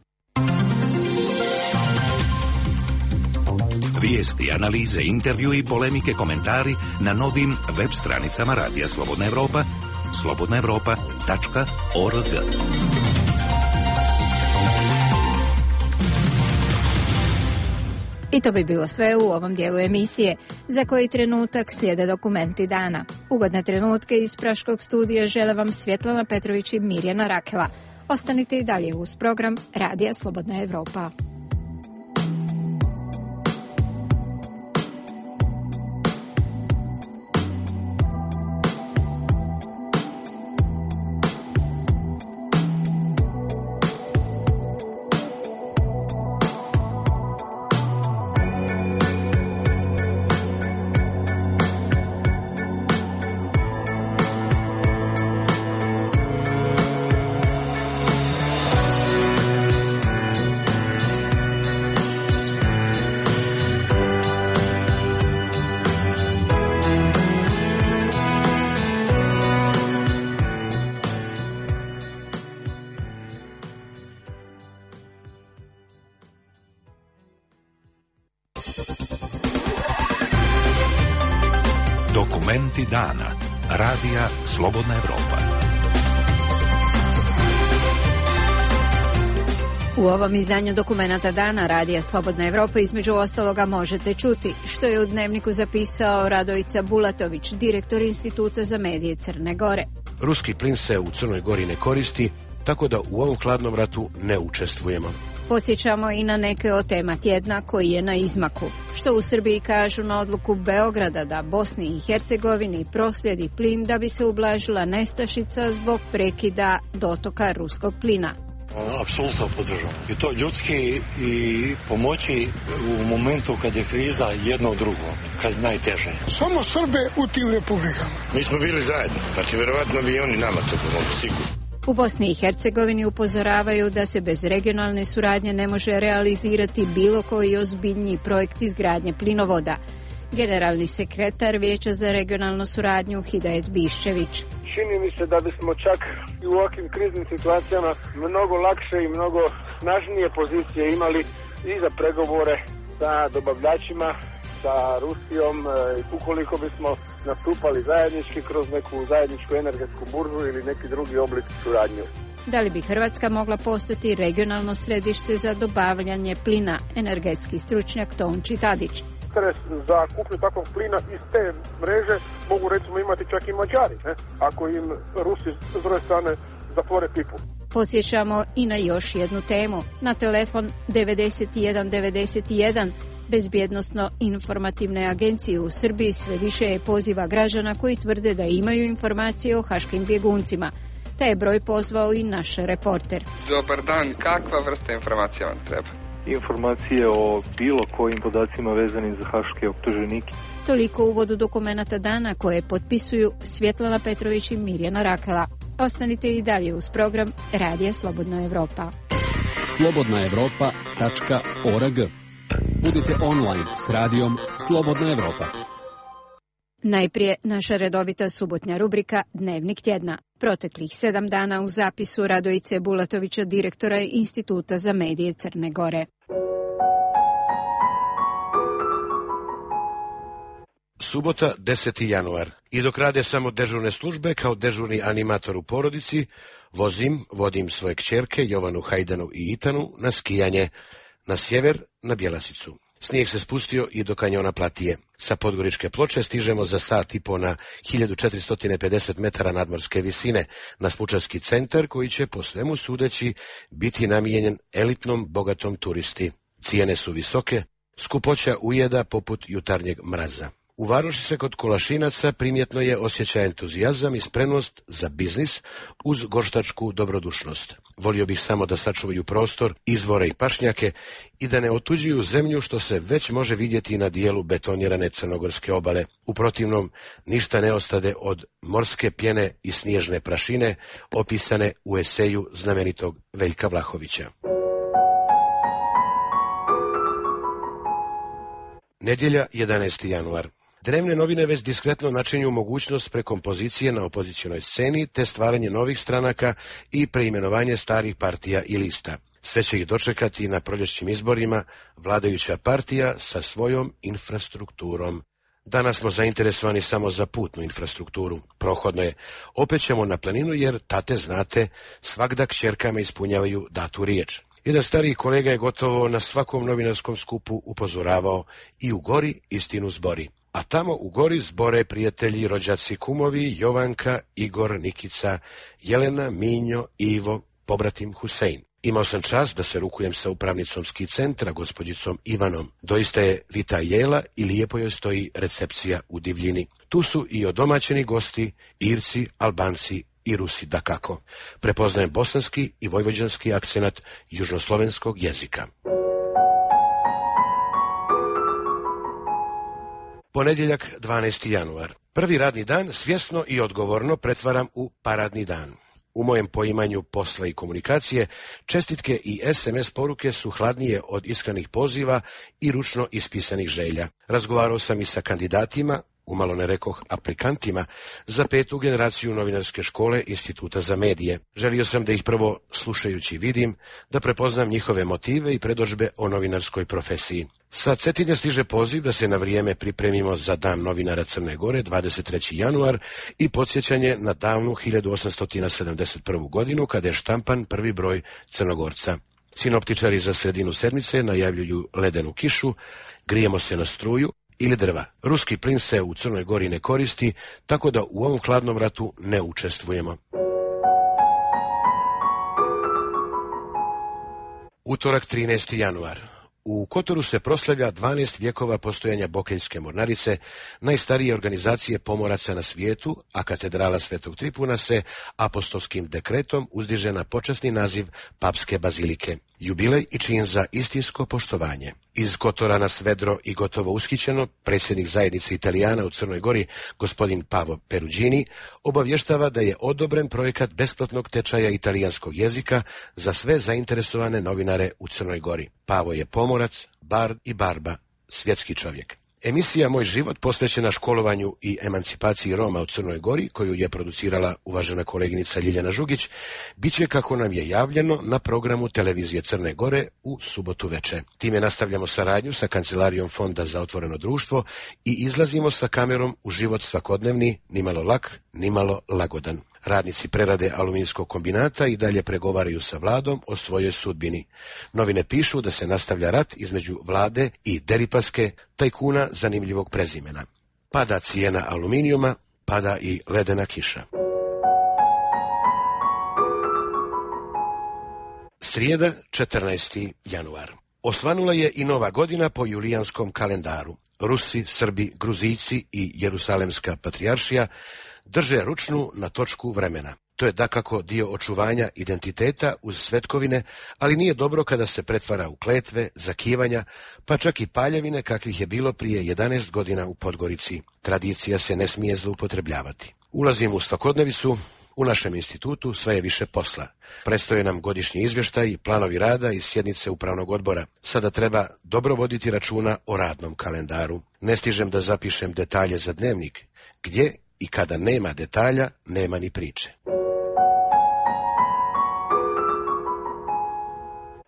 Vijesti, analize, intervju i polemike, komentari na novim web stranicama Radija Slobodna Evropa, slobodnaevropa.org. I to bi bilo sve u ovom dijelu emisije, za koji trenutak slijede dokumenti dana. Ugodne trenutke iz Praškog studija žele vam Svjetlana Petrović i Mirjana Rakela. Ostanite i dalje uz program Radija Slobodna Evropa. Dokumenti dana. Radija Slobodna Evropa. U ovom izdanju Dokumenata dana Radija Slobodna Evropa između ostaloga možete čuti što je u Dnevniku zapisao Radojica Bulatović, direktor Instituta za medije Crne Gore. Ruski plin se u Crnoj Gori ne koristi, tako da u ovom hladnom ratu ne učestvujemo. Podsjećamo i na neke od tema tjedna koji je na izmaku. Što u Srbiji kažu na odluku Beograda da Bosni i Hercegovini proslijedi plin da bi se ublažila nestašica zbog prekida dotoka ruskog plina. Apsolutno podržavam. I to ljudski i pomoći u momentu kad je kriza jedno drugo, kad je najteže. Samo Srbe u tim republikama. Mi smo bili zajedno, znači vjerovatno bi i oni nama to pomogli, sigurno. U Bosni i Hercegovini upozoravaju da se bez regionalne suradnje ne može realizirati bilo koji ozbiljniji projekt izgradnje plinovoda. Generalni sekretar Vijeća za regionalnu suradnju Hidajet Biščević. Čini mi se da bismo čak i u ovakvim kriznim situacijama mnogo lakše i mnogo snažnije pozicije imali i za pregovore sa dobavljačima, sa Rusijom, ukoliko bismo nastupali zajednički kroz neku zajedničku energetsku burzu ili neki drugi oblik suradnje. Da li bi Hrvatska mogla postati regionalno središte za dobavljanje plina, energetski stručnjak Tonči Tadić. Interes za kupnju takvog plina iz te mreže mogu recimo imati čak i Mađari, ako im Rusi s druge strane zatvore pipu. Posjećamo i na još jednu temu. Na telefon 9191 Bezbjednosno-informativne agencije u Srbiji sve više je poziva građana koji tvrde da imaju informacije o haškim bjeguncima. Taj je broj pozvao i naš reporter. Dobar dan, kakva vrsta informacija vam treba? Informacije o bilo kojim podacima vezanim za haške optuženike. Toliko u uvodu Dokumenata dana koje potpisuju Svjetlana Petrović i Mirjana Rakela. Ostanite i dalje uz program Radija Slobodna Evropa. slobodnaevropa.org. Budite online s radijom Slobodna Evropa. Najprije naša redovita subotnja rubrika Dnevnik tjedna. Proteklih 7 dana u zapisu Radojice Bulatovića, direktora Instituta za medije Crne Gore. Subota, 10. januar. I dok rade samo dežurne službe kao dežurni animator u porodici, vodim svoje kćerke Jovanu, Hajdanu i Itanu na skijanje, na sjever, na Bjelasicu. Snijeg se spustio i do kanjona Platije. Sa Podgoričke ploče stižemo za sat i po na 1450 metara nadmorske visine na Smučarski centar koji će po svemu sudeći biti namijenjen elitnom bogatom turisti. Cijene su visoke, skupoća ujeda poput jutarnjeg mraza. U Varoši se kod Kolašinaca primjetno je osjećaj entuzijazam i spremnost za biznis uz gorštačku dobrodušnost. Volio bih samo da sačuvaju prostor, izvore i pašnjake i da ne otuđuju zemlju što se već može vidjeti na dijelu betonirane crnogorske obale. U protivnom, ništa ne ostade od morske pjene i snježne prašine opisane u eseju znamenitog Veljka Vlahovića. Nedjelja, 11. januar. Dnevne novine već diskretno načinju mogućnost prekompozicije na opozicionoj sceni te stvaranje novih stranaka i preimenovanje starih partija i lista. Sve će ih dočekati na proljećnim izborima vladajuća partija sa svojom infrastrukturom. Danas smo zainteresovani samo za putnu infrastrukturu. Prohodno je. Opet ćemo na planinu jer, tate znate, svagda kćerkama ispunjavaju datu riječ. Jedan stariji kolega je gotovo na svakom novinarskom skupu upozoravao i u gori istinu zbori. A tamo u gori zbore prijatelji, rođaci, kumovi, Jovanka, Igor, Nikica, Jelena, Minjo, Ivo, pobratim Husein. Imao sam čast da se rukujem sa upravnicom ski centra, gospođicom Ivanom. Doista je vita jela i lijepo joj stoji recepcija u divljini. Tu su i odomaćeni gosti, Irci, Albanci i Rusi dakako. Prepoznajem bosanski i vojvođanski akcenat južnoslovenskog jezika. Ponedjeljak, 12. januar. Prvi radni dan svjesno i odgovorno pretvaram u paradni dan. U mojem poimanju posla i komunikacije, čestitke i SMS poruke su hladnije od iskrenih poziva i ručno ispisanih želja. Razgovarao sam i sa kandidatima, umalo ne rekoh aplikantima, za 5. generaciju novinarske škole Instituta za medije. Želio sam da ih prvo slušajući vidim, da prepoznam njihove motive i predodžbe o novinarskoj profesiji. Sa Cetinja stiže poziv da se na vrijeme pripremimo za Dan novinara Crne Gore, 23. januar, i podsjećanje na davnu 1871. godinu, kada je štampan prvi broj Crnogorca. Sinoptičari za sredinu sedmice najavljuju ledenu kišu, grijemo se na struju ili drva. Ruski plin se u Crnoj Gori ne koristi, tako da u ovom hladnom ratu ne učestvujemo. Utorak, 13. januar. U Kotoru se proslavlja 12 vjekova postojanja Bokeljske mornarice, najstarije organizacije pomoraca na svijetu, a katedrala Svetog Tripuna se apostolskim dekretom uzdiže na počasni naziv papske bazilike. Jubilej i čin za istinsko poštovanje. Iz Kotora nas vedro i gotovo ushićeno, predsjednik zajednice Italijana u Crnoj Gori, gospodin Pavo Perugini, obavještava da je odobren projekat besplatnog tečaja italijanskog jezika za sve zainteresovane novinare u Crnoj Gori. Pavo je pomorac, bard i barba, svjetski čovjek. Emisija Moj život, posvećena školovanju i emancipaciji Roma u Crnoj Gori, koju je producirala uvažena koleginica Ljiljana Žugić, bit će, kako nam je javljeno, na programu televizije Crne Gore u subotu veče. Time nastavljamo saradnju sa Kancelarijom Fonda za otvoreno društvo i izlazimo sa kamerom u život svakodnevni, nimalo lak, nimalo lagodan. Radnici prerade aluminijskog kombinata i dalje pregovaraju sa vladom o svojoj sudbini. Novine pišu da se nastavlja rat između vlade i Deripaske, tajkuna zanimljivog prezimena. Pada cijena aluminijuma, pada i ledena kiša. Srijeda, 14. januar. Osvanula je i nova godina po julijanskom kalendaru. Rusi, Srbi, Gruzijci i Jerusalemska patrijaršija drže ručnu na točku vremena. To je dakako dio očuvanja identiteta uz svetkovine, ali nije dobro kada se pretvara u kletve, zakivanja, pa čak i paljevine kakvih je bilo prije 11 godina u Podgorici. Tradicija se ne smije zloupotrebljavati. Ulazimo u svakodnevicu. U našem institutu sve je više posla. Predstoje nam godišnji izvještaj i planovi rada i sjednice upravnog odbora. Sada treba dobro voditi računa o radnom kalendaru. Ne stižem da zapišem detalje za dnevnik. Gdje i kada nema detalja, nema ni priče.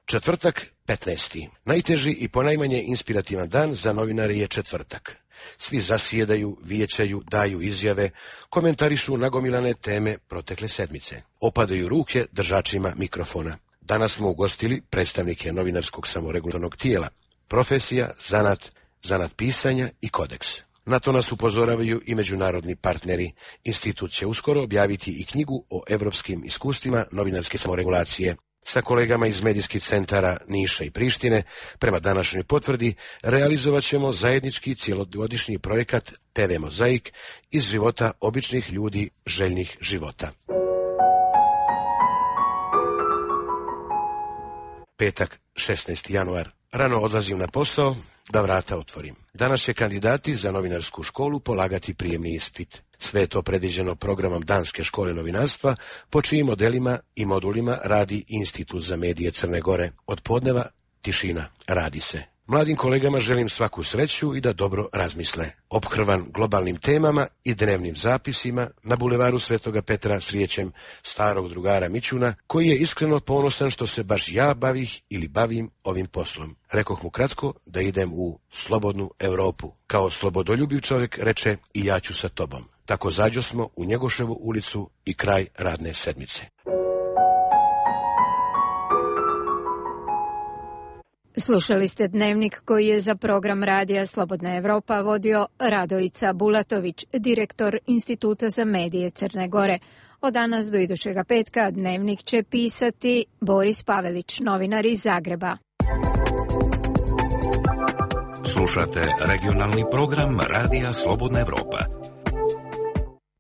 Četvrtak, 15. Najteži i ponajmanje inspirativan dan za novinare je četvrtak. Svi zasjedaju, vijećaju, daju izjave, komentarišu nagomilane teme protekle sedmice. Opadaju ruke držačima mikrofona. Danas smo ugostili predstavnike novinarskog samoregulatornog tijela, profesija, zanat pisanja i kodeks. Na to nas upozoravaju i međunarodni partneri. Institut će uskoro objaviti i knjigu o evropskim iskustvima novinarske samoregulacije. Sa kolegama iz medijskih centara Niša i Prištine, prema današnjoj potvrdi, realizovat ćemo zajednički cjelogodišnji projekat TV Mozaik iz života običnih ljudi željnih života. Petak, 16. januar. Rano odlazim na posao da vrata otvorim. Danas će kandidati za novinarsku školu polagati prijemni ispit. Sve je to predviđeno programom Danske škole novinarstva, po čijim modelima i modulima radi Institut za medije Crne Gore. Od podneva tišina, radi se. Mladim kolegama želim svaku sreću i da dobro razmisle. Ophrvan globalnim temama i dnevnim zapisima, na bulevaru Svetoga Petra srijećem starog drugara Mićuna, koji je iskreno ponosan što se baš ja bavim ovim poslom. Rekoh mu kratko da idem u slobodnu Europu. Kao slobodoljubiv čovjek reče i ja ću sa tobom. Tako zađosmo u Njegoševu ulicu i kraj radne sedmice. Slušali ste dnevnik koji je za program radija Slobodna Evropa vodio Radojica Bulatović, direktor Instituta za medije Crne Gore. Od danas do idućega petka dnevnik će pisati Boris Pavelić, novinar iz Zagreba. Slušate regionalni program radija Slobodna Evropa.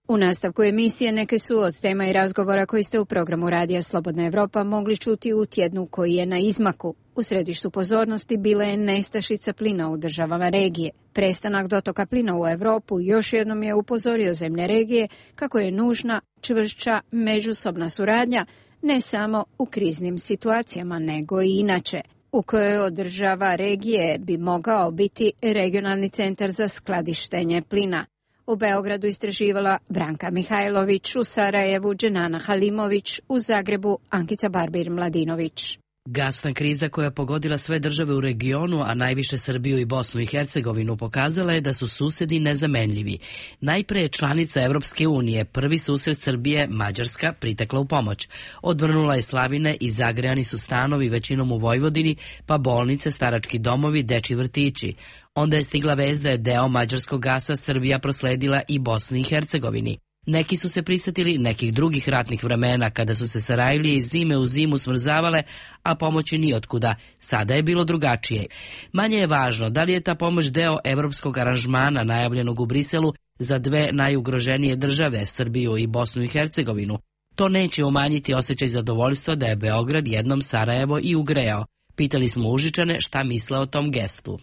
U nastavku emisije neke su od tema i razgovora koji ste u programu radija Slobodna Evropa mogli čuti u tjednu koji je na izmaku. U središtu pozornosti bila je nestašica plina u državama regije. Prestanak dotoka plina u Europu još jednom je upozorio zemlje regije kako je nužna čvršća međusobna suradnja ne samo u kriznim situacijama nego i inače, u kojoj od država regije bi mogao biti regionalni centar za skladištenje plina. U Beogradu istraživala Branka Mihajlović, u Sarajevu Dženana Halimović, u Zagrebu Ankica Barbir-Mladinović. Gasna kriza koja je pogodila sve države u regionu, a najviše Srbiju i Bosnu i Hercegovinu, pokazala je da su susedi nezamenljivi. Najpre je članica Evropske unije, prvi susret Srbije, Mađarska, pritekla u pomoć. Odvrnula je slavine i zagrejani su stanovi većinom u Vojvodini, pa bolnice, starački domovi, dečji vrtići. Onda je stigla vest da je deo mađarskog gasa Srbija prosledila i Bosni i Hercegovini. Neki su se prisjetili nekih drugih ratnih vremena kada su se Sarajlije iz zime u zimu smrzavale, a pomoći nijotkuda. Sada je bilo drugačije. Manje je važno da li je ta pomoć deo evropskog aranžmana najavljenog u Briselu za dve najugroženije države, Srbiju i Bosnu i Hercegovinu. To neće umanjiti osjećaj zadovoljstva da je Beograd jednom Sarajevo i ugrejao. Pitali smo Užičane šta misle o tom gestu.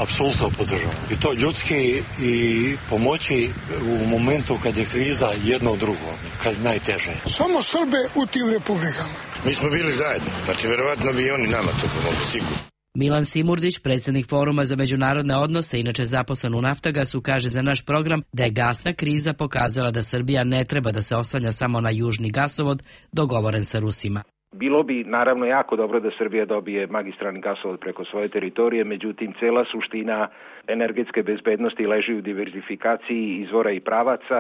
Apsolutno podržavam. I to ljudski i pomoći u momentu kad je kriza jedno drugo, kad je najteže. Samo Srbe u tim republikama. Mi smo bili zajedno, znači verovatno bi oni nama to pomogli, sigurno. Milan Simurdić, predsjednik Foruma za međunarodne odnose, inače zaposlen u Naftagasu, kaže za naš program da je gasna kriza pokazala da Srbija ne treba da se oslanja samo na južni gasovod dogovoren sa Rusima. Bilo bi naravno jako dobro da Srbija dobije magistralni gasovod preko svoje teritorije, međutim cela suština energetske bezbednosti leži u diverzifikaciji izvora i pravaca,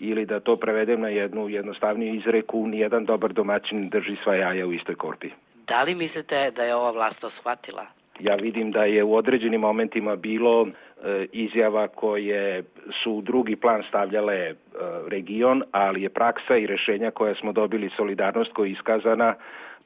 ili da to prevedem na jednu jednostavniju izreku, nijedan dobar domaćin drži sva jaja u istoj korpi. Da li mislite da je ova vlast to shvatila? Ja vidim da je u određenim momentima bilo izjava koje su u drugi plan stavljale region, ali je praksa i rešenja koja smo dobili, solidarnost koja je iskazana,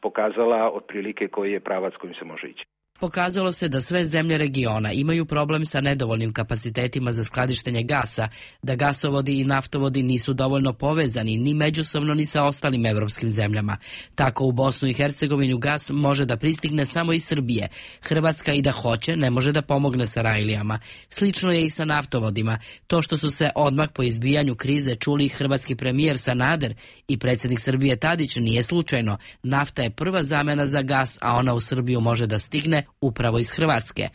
pokazala otprilike koji je pravac kojim se može ići. Pokazalo se da sve zemlje regiona imaju problem sa nedovoljnim kapacitetima za skladištenje gasa, da gasovodi i naftovodi nisu dovoljno povezani ni međusobno ni sa ostalim evropskim zemljama. Tako u Bosnu i Hercegovinu gas može da pristigne samo iz Srbije. Hrvatska i da hoće ne može da pomogne Sarajlijama. Slično je i sa naftovodima. To što su se odmah po izbijanju krize čuli hrvatski premijer Sanader i predsjednik Srbije Tadić nije slučajno. Nafta je prva zamena za gas, a ona u Srbiju može da stigne upravo iz Hrvatske.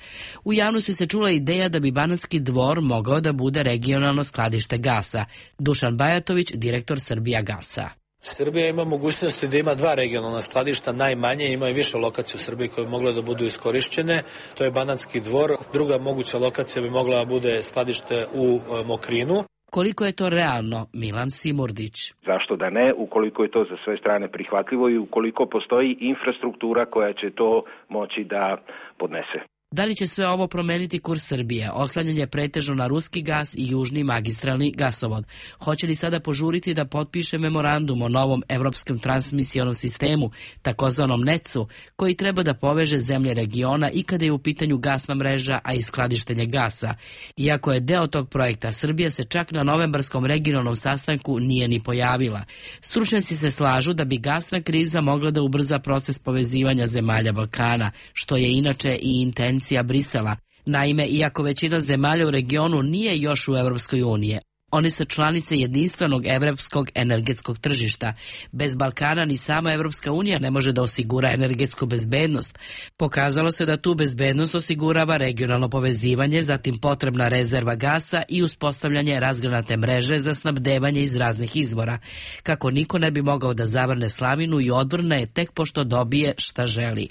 U javnosti se čula ideja da bi Banatski Dvor mogao da bude regionalno skladište gasa. Dušan Bajatović, direktor Srbija gasa. Srbija ima mogućnosti da ima dva regionalna skladišta, najmanje, ima i više lokacija u Srbiji koje bi mogle da budu iskorišćene. To je Banatski Dvor. Druga moguća lokacija bi mogla da bude skladište u Mokrinu. Koliko je to realno, Milan Simurdić? Zašto da ne, ukoliko je to za sve strane prihvatljivo i ukoliko postoji infrastruktura koja će to moći da podnese. Da li će sve ovo promeniti kurs Srbije? Oslanjanje pretežno na ruski gas i južni magistralni gasovod. Hoće li sada požuriti da potpiše memorandum o novom evropskom transmisionom sistemu, takozvanom NEC-u, koji treba da poveže zemlje regiona i kada je u pitanju gasna mreža, a i skladištenje gasa? Iako je deo tog projekta, Srbija se čak na novembarskom regionalnom sastanku nije ni pojavila. Stručnjaci se slažu da bi gasna kriza mogla da ubrza proces povezivanja zemalja Balkana, što je inače i intencija Brisela. Naime, iako većina zemalja u regionu nije još u Evropskoj uniji, one su članice jedinstvenog evropskog energetskog tržišta. Bez Balkana ni sama Evropska unija ne može da osigura energetsku bezbednost. Pokazalo se da tu bezbednost osigurava regionalno povezivanje, zatim potrebna rezerva gasa i uspostavljanje razgranate mreže za snabdevanje iz raznih izvora. Kako niko ne bi mogao da zavrne slavinu i odvrne je tek pošto dobije šta želi.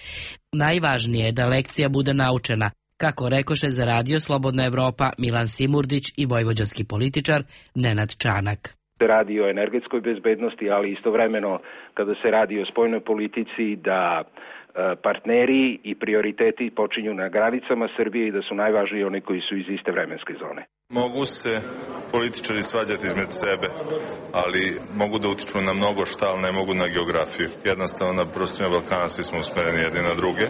Najvažnije je da lekcija bude naučena, kako rekoše za Radio Slobodna Evropa Milan Simurdić i vojvođanski političar Nenad Čanak. Se radi o energetskoj bezbednosti, ali istovremeno kada se radi o spoljnoj politici da partneri i prioriteti počinju na granicama Srbije i da su najvažniji oni koji su iz iste vremenske zone. Mogu se političari svađati između sebe, ali mogu da utiču na mnogo šta, ali ne mogu na geografiju. Jednostavno na prostorima Balkana svi smo usmereni jedni na druge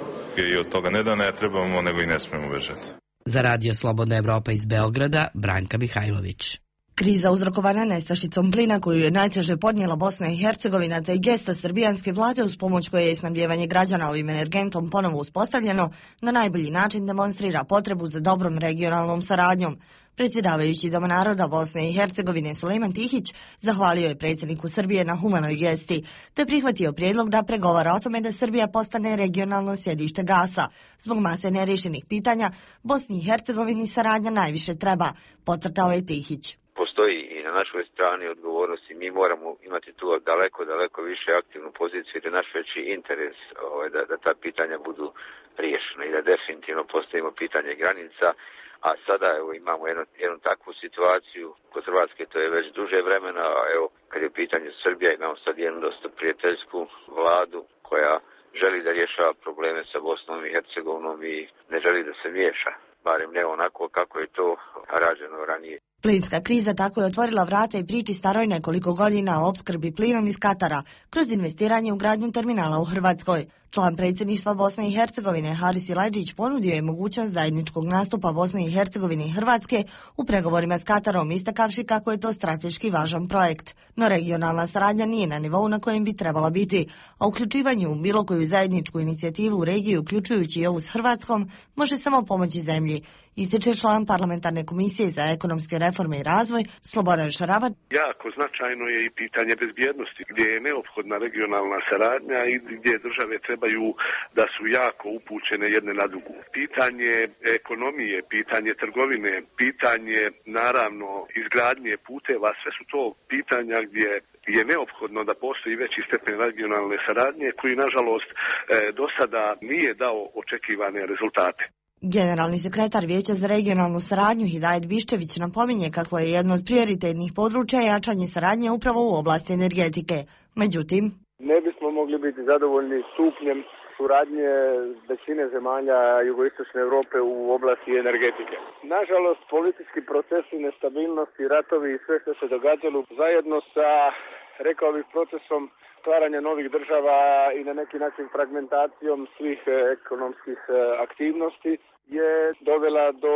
i od toga ne da ne trebamo, nego i ne smemo bežati. Za Radio Slobodna Evropa iz Beograda, Branka Mihajlović. Kriza uzrokovana nestašicom plina koju je najteže podnijela Bosna i Hercegovina, te i gesta srbijanske vlade uz pomoć koje je snabdijevanje građana ovim energentom ponovo uspostavljeno, na najbolji način demonstrira potrebu za dobrom regionalnom saradnjom. Predsjedavajući Doma naroda Bosne i Hercegovine Sulejman Tihić zahvalio je predsjedniku Srbije na humanoj gesti, te prihvatio prijedlog da pregovara o tome da Srbija postane regionalno sjedište gasa. Zbog mase nerješenih pitanja, Bosni i Hercegovini saradnja najviše treba, podcrtao je Tihić. Postoji našoj strani odgovornosti. Mi moramo imati tu daleko više aktivnu poziciju, jer je naš veći interes da ta pitanja budu riješena i da definitivno postavimo pitanje granica. A sada imamo jednu takvu situaciju kod Hrvatske, to je već duže vremena, a kad je u pitanju Srbija, imamo sad jednu dosta prijateljsku vladu koja želi da rješava probleme sa Bosnom i Hercegovinom i ne želi da se miješa, barem ne onako kako je to rađeno ranije. Plinska kriza tako je otvorila vrata i priči staroj nekoliko godina o opskrbi plinom iz Katara kroz investiranje u gradnju terminala u Hrvatskoj. Član predsjedništva Bosne i Hercegovine Haris Silajdžić ponudio je mogućnost zajedničkog nastupa Bosne i Hercegovine i Hrvatske u pregovorima s Katarom, istakavši kako je to strateški važan projekt. No regionalna saradnja nije na nivou na kojem bi trebala biti, a uključivanje u bilo koju zajedničku inicijativu u regiji, uključujući i ovu s Hrvatskom, može samo pomoći zemlji, ističe član parlamentarne komisije za ekonomske reforme i razvoj Slobodan Šaravat. Jako značajno je i pitanje bezbjednosti, gdje je neophodna regionalna saradnja i gdje države trebaju da su jako upućene jedne na drugu. Pitanje ekonomije, pitanje trgovine, pitanje naravno izgradnje puteva, sve su to pitanja gdje je neophodno da postoji veći stepen regionalne saradnje koji nažalost do sada nije dao očekivane rezultate. Generalni sekretar Vijeća za regionalnu saradnju Hidajet Biščević napominje kako je jedno od prioritetnih područja jačanje saradnje upravo u oblasti energetike. Međutim, ne bismo mogli biti zadovoljni stupnjem suradnje većine zemalja jugoistočne Europe u oblasti energetike. Nažalost, politički procesi, nestabilnosti, ratovi i sve što se događalo zajedno sa, rekao bih, procesom stvaranja novih država i na neki način fragmentacijom svih ekonomskih aktivnosti je dovela do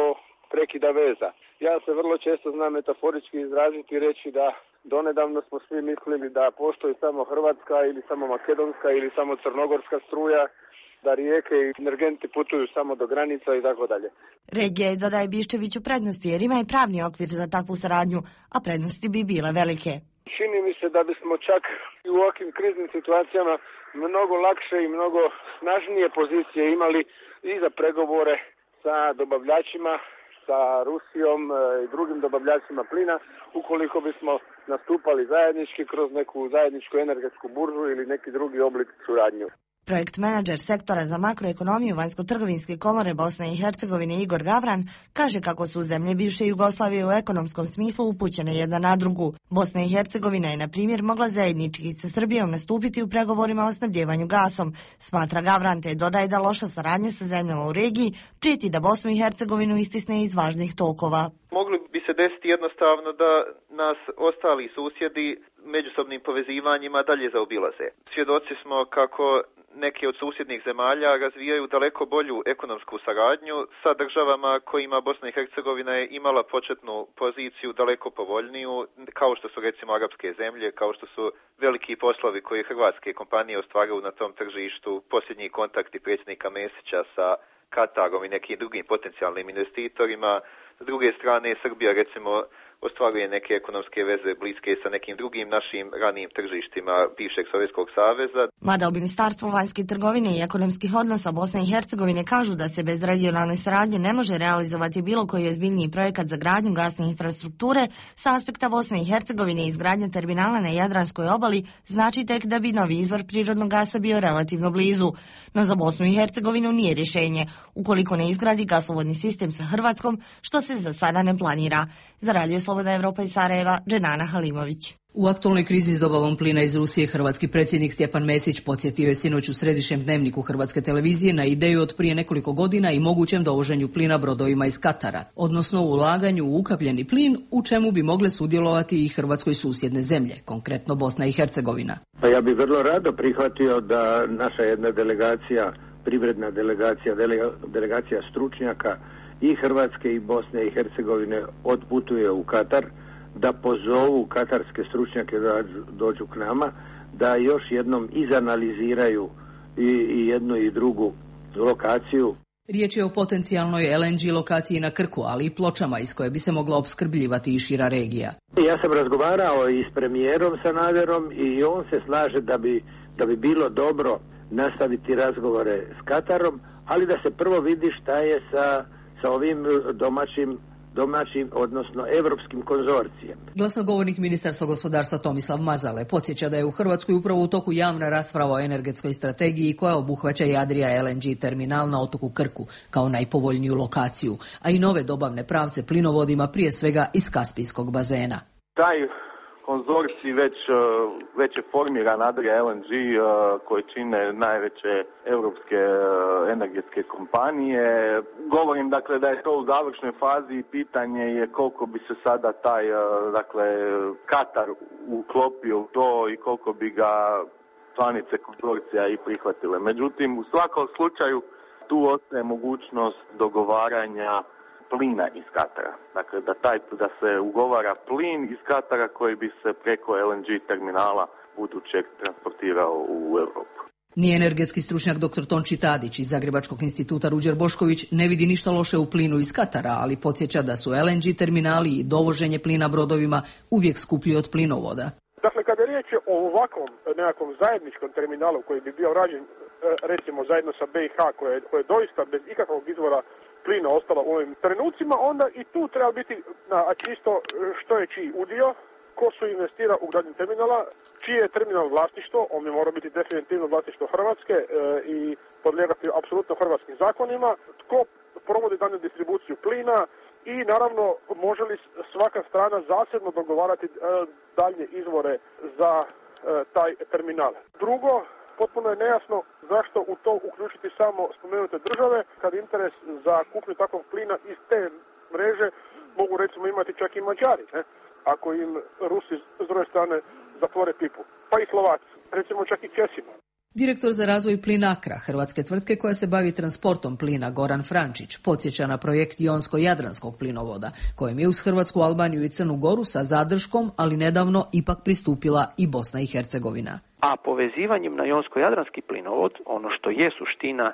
prekida veza. Ja se vrlo često znam metaforički izraziti i reći da donedavno smo svi mislili da postoji samo hrvatska ili samo makedonska ili samo crnogorska struja, da rijeke i energenti putuju samo do granica i tako dalje. Regija je, dodaje Biščević, u prednosti jer ima i pravni okvir za takvu saradnju, a prednosti bi bile velike. Čini mi se da bismo čak i u ovakvim kriznim situacijama mnogo lakše i mnogo snažnije pozicije imali i za pregovore sa dobavljačima, sa Rusijom i drugim dobavljačima plina, ukoliko bismo nastupali zajednički kroz neku zajedničku energetsku buržu ili neki drugi oblik suradnju. Projekt menadžer sektora za makroekonomiju Vanjsko-trgovinske komore Bosne i Hercegovine Igor Gavran kaže kako su zemlje bivše Jugoslavije u ekonomskom smislu upućene jedna na drugu. Bosna i Hercegovina je, na primjer, mogla zajednički sa Srbijom nastupiti u pregovorima o snabdjevanju gasom, smatra Gavran, te dodaje da loša saradnja sa zemljama u regiji prijeti da Bosnu i Hercegovinu istisne iz važnih tokova. Mogli bi se desiti jednostavno da nas ostali susjedi međusobnim povezivanjima dalje zaobilaze. Svjedoci smo kako neke od susjednih zemalja razvijaju daleko bolju ekonomsku saradnju sa državama kojima Bosna i Hercegovina je imala početnu poziciju daleko povoljniju, kao što su recimo arapske zemlje, kao što su veliki poslovi koje hrvatske kompanije ostvaruju na tom tržištu, posljednji kontakti predsjednika Mesića sa Katarom i nekim drugim potencijalnim investitorima. S druge strane, Srbija recimo ostvaruje neke ekonomske veze bliske sa nekim drugim našim ranijim tržištima bivšeg Sovjetskog saveza. Mada u Ministarstvu vanjske trgovine i ekonomskih odnosa Bosne i Hercegovine kažu da se bez regionalne saradnje ne može realizovati bilo koji ozbiljniji projekat za gradnju gasne infrastrukture, sa aspekta Bosne i Hercegovine izgradnja terminala na Jadranskoj obali znači tek da bi novi izvor prirodnog gasa bio relativno blizu. No za Bosnu i Hercegovinu nije rješenje, ukoliko ne izgradi gasovodni sistem sa Hrvatskom, što se za sada ne planira. Za Radio Slobodna Evropa iz Sarajeva, Dženana Halimović. U aktualnoj krizi s dobavom plina iz Rusije, hrvatski predsjednik Stjepan Mesić podsjetio je sinoć u središnjem dnevniku Hrvatske televizije na ideju od prije nekoliko godina i mogućem dovoženju plina brodovima iz Katara, odnosno ulaganju u ukapljeni plin, u čemu bi mogle sudjelovati i Hrvatskoj susjedne zemlje, konkretno Bosna i Hercegovina. Pa ja bih vrlo rado prihvatio da naša jedna delegacija, privredna delegacija, delegacija stručnjaka i Hrvatske i Bosne i Hercegovine odputuje u Katar, da pozovu katarske stručnjake da dođu k nama, da još jednom izanaliziraju i jednu i drugu lokaciju. Riječ je o potencijalnoj LNG lokaciji na Krku, ali i Pločama iz koje bi se mogla opskrbljivati i šira regija. Ja sam razgovarao i s premijerom Sanaderom i on se slaže da bi bilo dobro nastaviti razgovore s Katarom, ali da se prvo vidi šta je sa ovim domaćim domaćim, odnosno evropskim konzorcijem. Glasnogovornik Ministarstva gospodarstva Tomislav Mazale podsjeća da je u Hrvatskoj upravo u toku javna rasprava o energetskoj strategiji koja obuhvaća i Adria LNG terminal na otoku Krku kao najpovoljniju lokaciju, a i nove dobavne pravce plinovodima, prije svega iz Kaspijskog bazena. Taj konzorcij već je formiran, Adria LNG, koji čine najveće europske energetske kompanije. Govorim dakle da je to u završnoj fazi i pitanje je koliko bi se sada taj Katar uklopio u to i koliko bi ga članice konzorcija i prihvatile. Međutim, u svakom slučaju tu ostaje mogućnost dogovaranja plina iz Katara. Dakle, da se ugovara plin iz Katara koji bi se preko LNG terminala budućeg transportirao u Europu. Ni energetski stručnjak dr. Tonči Tadić iz Zagrebačkog instituta Ruđer Bošković ne vidi ništa loše u plinu iz Katara, ali podsjeća da su LNG terminali i dovoženje plina brodovima uvijek skuplji od plinovoda. Dakle, kada je riječ o ovakvom nekakvom zajedničkom terminalu koji bi bio rađen recimo zajedno sa BiH koje je doista bez ikakvog izvora plina ostala u ovim trenucima, onda i tu treba biti čisto što je čiji udio, ko su investira u gradnju terminala, čije je terminal vlasništvo, on bi morao biti definitivno vlasništvo Hrvatske i podlijegati apsolutno hrvatskim zakonima, tko provodi dalju distribuciju plina i naravno može li svaka strana zasebno dogovarati dalje izvore za taj terminal. Drugo, potpuno je nejasno zašto u to uključiti samo spomenute države, kad interes za kupnju takvog plina iz te mreže mogu recimo imati čak i Mađari, ako im Rusi s druge strane zatvore pipu, pa i Slovaci, recimo čak i Česima. Direktor za razvoj Plinakra, hrvatske tvrtke koja se bavi transportom plina, Goran Frančić, podsjeća na projekt Jonsko-Jadranskog plinovoda, kojem je uz Hrvatsku, Albaniju i Crnu Goru sa zadrškom, ali nedavno ipak pristupila i Bosna i Hercegovina. A povezivanjem na Jonsko-Jadranski plinovod, ono što je suština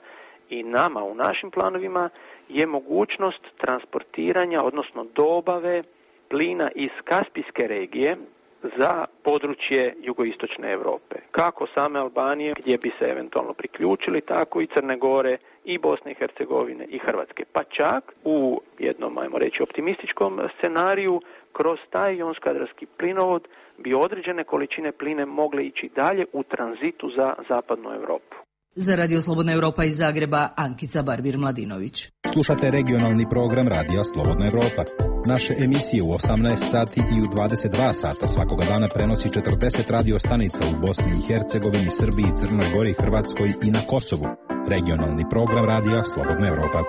i nama u našim planovima, je mogućnost transportiranja, odnosno dobave plina iz Kaspijske regije za područje jugoistočne Europe. Kako same Albanije, gdje bi se eventualno priključili, tako i Crne Gore, i Bosne i Hercegovine i Hrvatske. Pa čak u jednom, ajmo reći, optimističkom scenariju, kroz taj jonsko-jadranski plinovod bi određene količine pline mogle ići dalje u tranzitu za zapadnu Europu. Za Radio Slobodna Europa iz Zagreba, Ankica Barbir-Mladinović. Slušate regionalni program Radija Slobodna Europa. Naše emisije u 18 sati i u 22 sata svakoga dana prenosi 40 radio stanica u Bosni i Hercegovini, Srbiji, Crnoj Gori, Hrvatskoj i na Kosovu. Regionalni program Radija Slobodna Europa.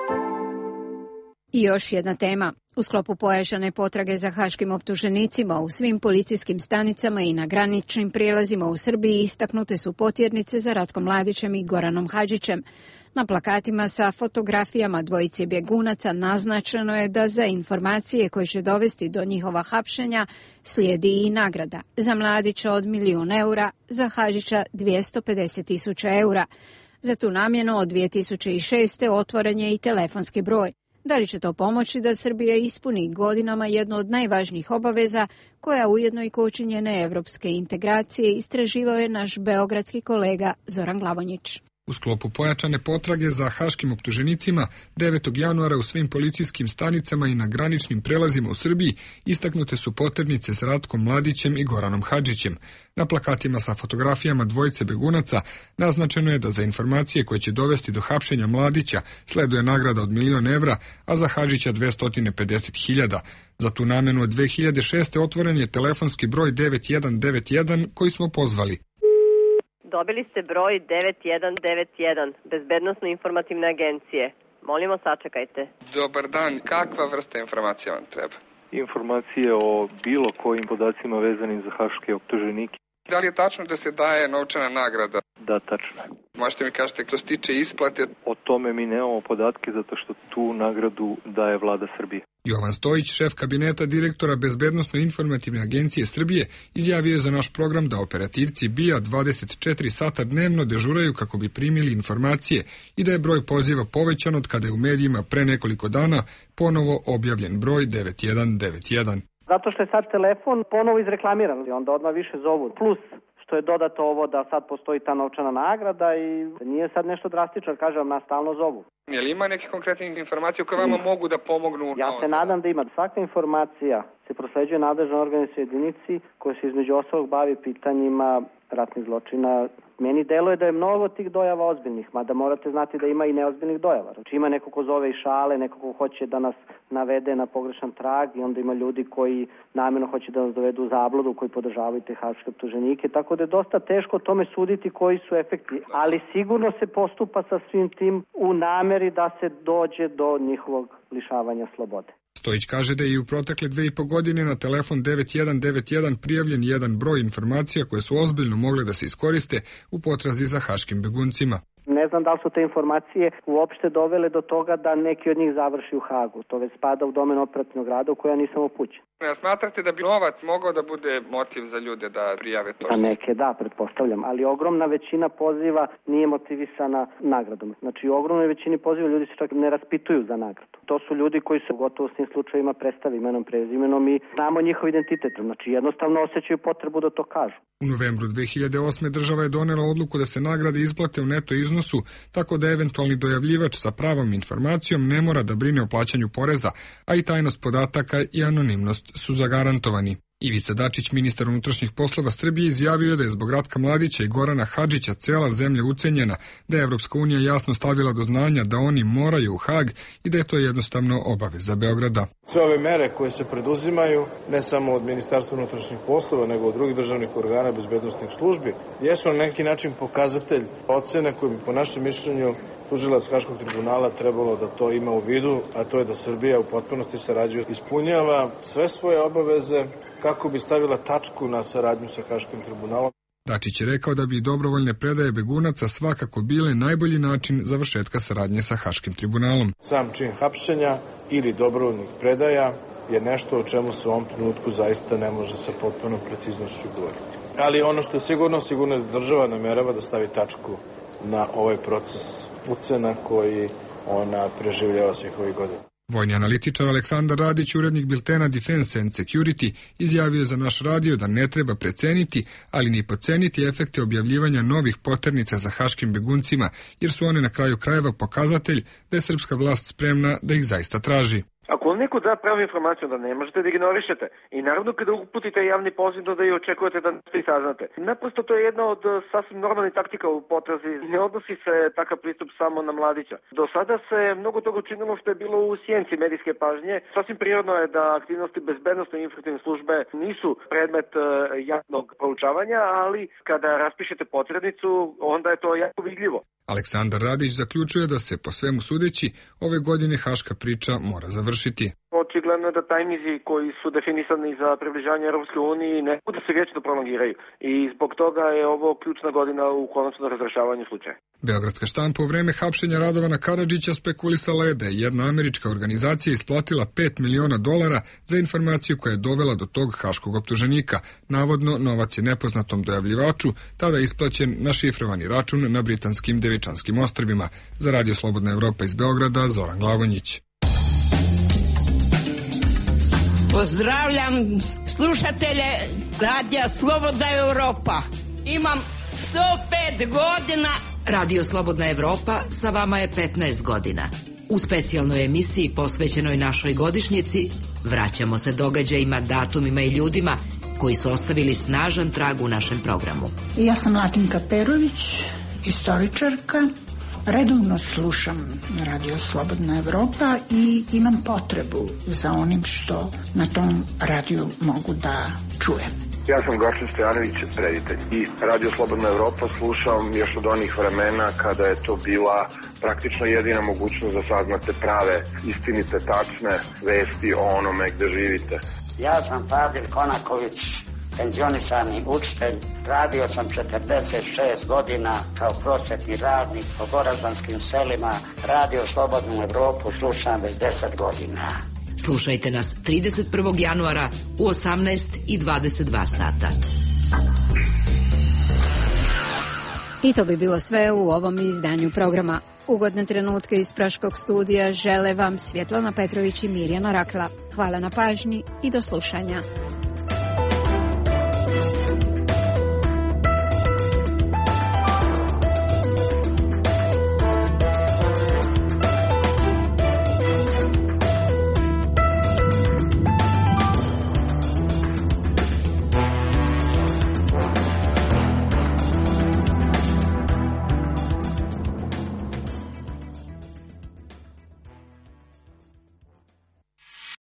I još jedna tema. U sklopu pojačane potrage za haškim optuženicima u svim policijskim stanicama i na graničnim prijelazima u Srbiji istaknute su potjernice za Ratkom Mladićem i Goranom Hadžićem. Na plakatima sa fotografijama dvojice bjegunaca naznačeno je da za informacije koje će dovesti do njihova hapšenja slijedi i nagrada. Za Mladića od 1.000.000 eura, za Hadžića 250.000 eura. Za tu namjenu od 2006. otvoren je i telefonski broj. Da li će to pomoći da Srbija ispuni godinama jednu od najvažnijih obaveza, koja ujedno i koči njene evropske integracije, istraživao je naš beogradski kolega Zoran Glavonjić. U sklopu pojačane potrage za haškim optuženicima 9. januara u svim policijskim stanicama i na graničnim prelazima u Srbiji istaknute su poternice s Ratkom Mladićem i Goranom Hadžićem. Na plakatima sa fotografijama dvojice begunaca naznačeno je da za informacije koje će dovesti do hapšenja Mladića sleduje nagrada od 1.000.000 evra, a za Hadžića 250.000. Za tu namjenu od 2006. otvoren je telefonski broj 9191 koji smo pozvali. Dobili ste broj 9191, Bezbednosno informativne agencije. Molimo, sačekajte. Dobar dan, kakva vrsta informacija vam treba? Informacije o bilo kojim podacima vezanim za haške optuženike. Da li je tačno da se daje novčana nagrada? Da, tačno. Možete mi kažete što se tiče isplate? O tome mi nemamo podatke zato što tu nagradu daje vlada Srbije. Jovan Stojić, šef kabineta direktora Bezbednosno-informativne agencije Srbije, izjavio je za naš program da operativci BIA 24 sata dnevno dežuraju kako bi primili informacije i da je broj poziva povećan od kada je u medijima pre nekoliko dana ponovo objavljen broj 9191. Zato što je sad telefon ponovo izreklamiran i onda odmah više zovu. Plus što je dodato ovo da sad postoji ta novčana nagrada i nije sad nešto drastično, kažem, nas stalno zovu. Je li ima neke konkretne informacije koje vama mogu da pomognu? Ja se nadam da ima. Svaka informacija se prosleđuje nadležnoj organizacijskoj jedinici koja se između ostalog bavi pitanjima ratnih zločina. Meni deluje da je mnogo tih dojava ozbiljnih, mada morate znati da ima i neozbiljnih dojava. Znači ima neko ko zove i šale, neko ko hoće da nas navede na pogrešan trag i onda ima ljudi koji namjerno hoće da nas dovedu u zabludu, koji podržavaju te haške optuženike, tako da je dosta teško o tome suditi koji su efekti, ali sigurno se postupa sa svim tim u nameri da se dođe do njihovog lišavanja slobode. Stojić kaže da je i u protekle 2,5 godine na telefon 9191 prijavljen jedan broj informacija koje su ozbiljno mogle da se iskoriste u potrazi za haškim beguncima. Ne znam da li su te informacije uopšte dovele do toga da neki od njih završi u Hagu. To već spada u domen operativnog rada u koja ja nisam upućen. Smatrate da bi novac mogao da bude motiv za ljude da prijave to? Za neke da, pretpostavljam, ali ogromna većina poziva nije motivisana nagradom. Znači u ogromnoj većini poziva ljudi se čak ne raspituju za nagradu. To su ljudi koji se gotovo u svim slučajevima predstave imenom, prezimenom i znamo njihov identitet. Znači jednostavno osjećaju potrebu da to kažu. U novembru 2008. država je donela odluku da se nagrade isplate u neto iznosu, tako da eventualni dojavljivač sa pravom informacijom ne mora da brine o plaćanju poreza, a i tajnost podataka i anonimnost su zagarantovani. Ivica Dačić, ministar unutrašnjih poslova Srbije, izjavio da je zbog Ratka Mladića i Gorana Hadžića cela zemlja ucenjena, da je Evropska unija jasno stavila do znanja da oni moraju u Hag i da je to jednostavno obaveza Beograda. Sve ove mere koje se preduzimaju, ne samo od Ministarstva unutrašnjih poslova, nego od drugih državnih organa bezbednosnih službi, jesu na neki način pokazatelj ocene koje bi po našem mišljenju tužilac Haškog tribunala trebalo da to ima u vidu, a to je da Srbija u potpunosti sarađuje, ispunjava sve svoje obaveze kako bi stavila tačku na saradnju sa Haškim tribunalom. Dačić je rekao da bi dobrovoljne predaje begunaca svakako bile najbolji način završetka saradnje sa Haškim tribunalom. Sam čin hapšenja ili dobrovoljnih predaja je nešto o čemu se u ovom trenutku zaista ne može sa potpunom preciznošću govoriti. Ali ono što je sigurno je da država namerava da stavi tačku na ovaj proces ucena koji ona preživljava svih ovih godina. Vojni analitičar Aleksandar Radić, urednik biltena Defense and Security, izjavio za naš radio da ne treba preceniti, ali ni podceniti efekte objavljivanja novih poternica za haškim beguncima, jer su one na kraju krajeva pokazatelj da je srpska vlast spremna da ih zaista traži. Ako vam neko da pravu informaciju, da ne možete da ignorišete. I naravno kada uputite javni poziv da i očekujete da nešto i saznate. Naprosto to je jedna od sasvim normalnih taktika u potrazi. Ne odnosi se takav pristup samo na Mladića. Do sada se mnogo toga učinilo što je bilo u sjenci medijske pažnje. Sasvim prirodno je da aktivnosti bezbednosne informativne službe nisu predmet javnog proučavanja, ali kada raspišete potrebnicu, onda je to jako vidljivo. Aleksandar Radić zaključuje da se po svemu sudeći ove godine haška priča mora završiti. Očigledno je da tajmizi koji su definisani za približavanje Europske unije ne budu se vječno prolongiraju i zbog toga je ovo ključna godina u konačnom razrešavanju slučaja. Beogradska štampa u vreme hapšenja Radovana Karadžića spekulisala je da je jedna američka organizacija isplatila $5 miliona za informaciju koja je dovela do tog haškog optuženika. Navodno, novac je nepoznatom dojavljivaču tada isplaćen na šifrovani račun na britanskim Devičanskim ostrvima. Za Radio Slobodna Evropa iz Beograda, Zoran Glavonjić. Pozdravljam slušatelje Radija Slobodna Evropa. Imam 105 godina. Radio Slobodna Evropa sa vama je 15 godina. U specijalnoj emisiji posvećenoj našoj godišnjici vraćamo se događajima, datumima i ljudima koji su ostavili snažan trag u našem programu. Ja sam Latinka Perović, istoričarka. Redovno slušam Radio Slobodna Evropa i imam potrebu za onim što na tom radiju mogu da čujem. Ja sam Gorčin Stojanović, reditelj. I Radio Slobodna Evropa slušam još od onih vremena kada je to bila praktično jedina mogućnost da saznate prave, istinite, tačne vesti o onome gde živite. Ja sam Fadil Konaković, penzionisani učitelj. Radio sam 46 godina kao prosvetni radnik po goraždanskim selima. Radio Slobodnu Evropu slušam već 10 godina. Slušajte nas 31. januara u 18 i 22 sata. I to bi bilo sve u ovom izdanju programa. Ugodne trenutke iz Praškog studija žele vam Svjetlana Petrović i Mirjana Rakla. Hvala na pažnji i do slušanja.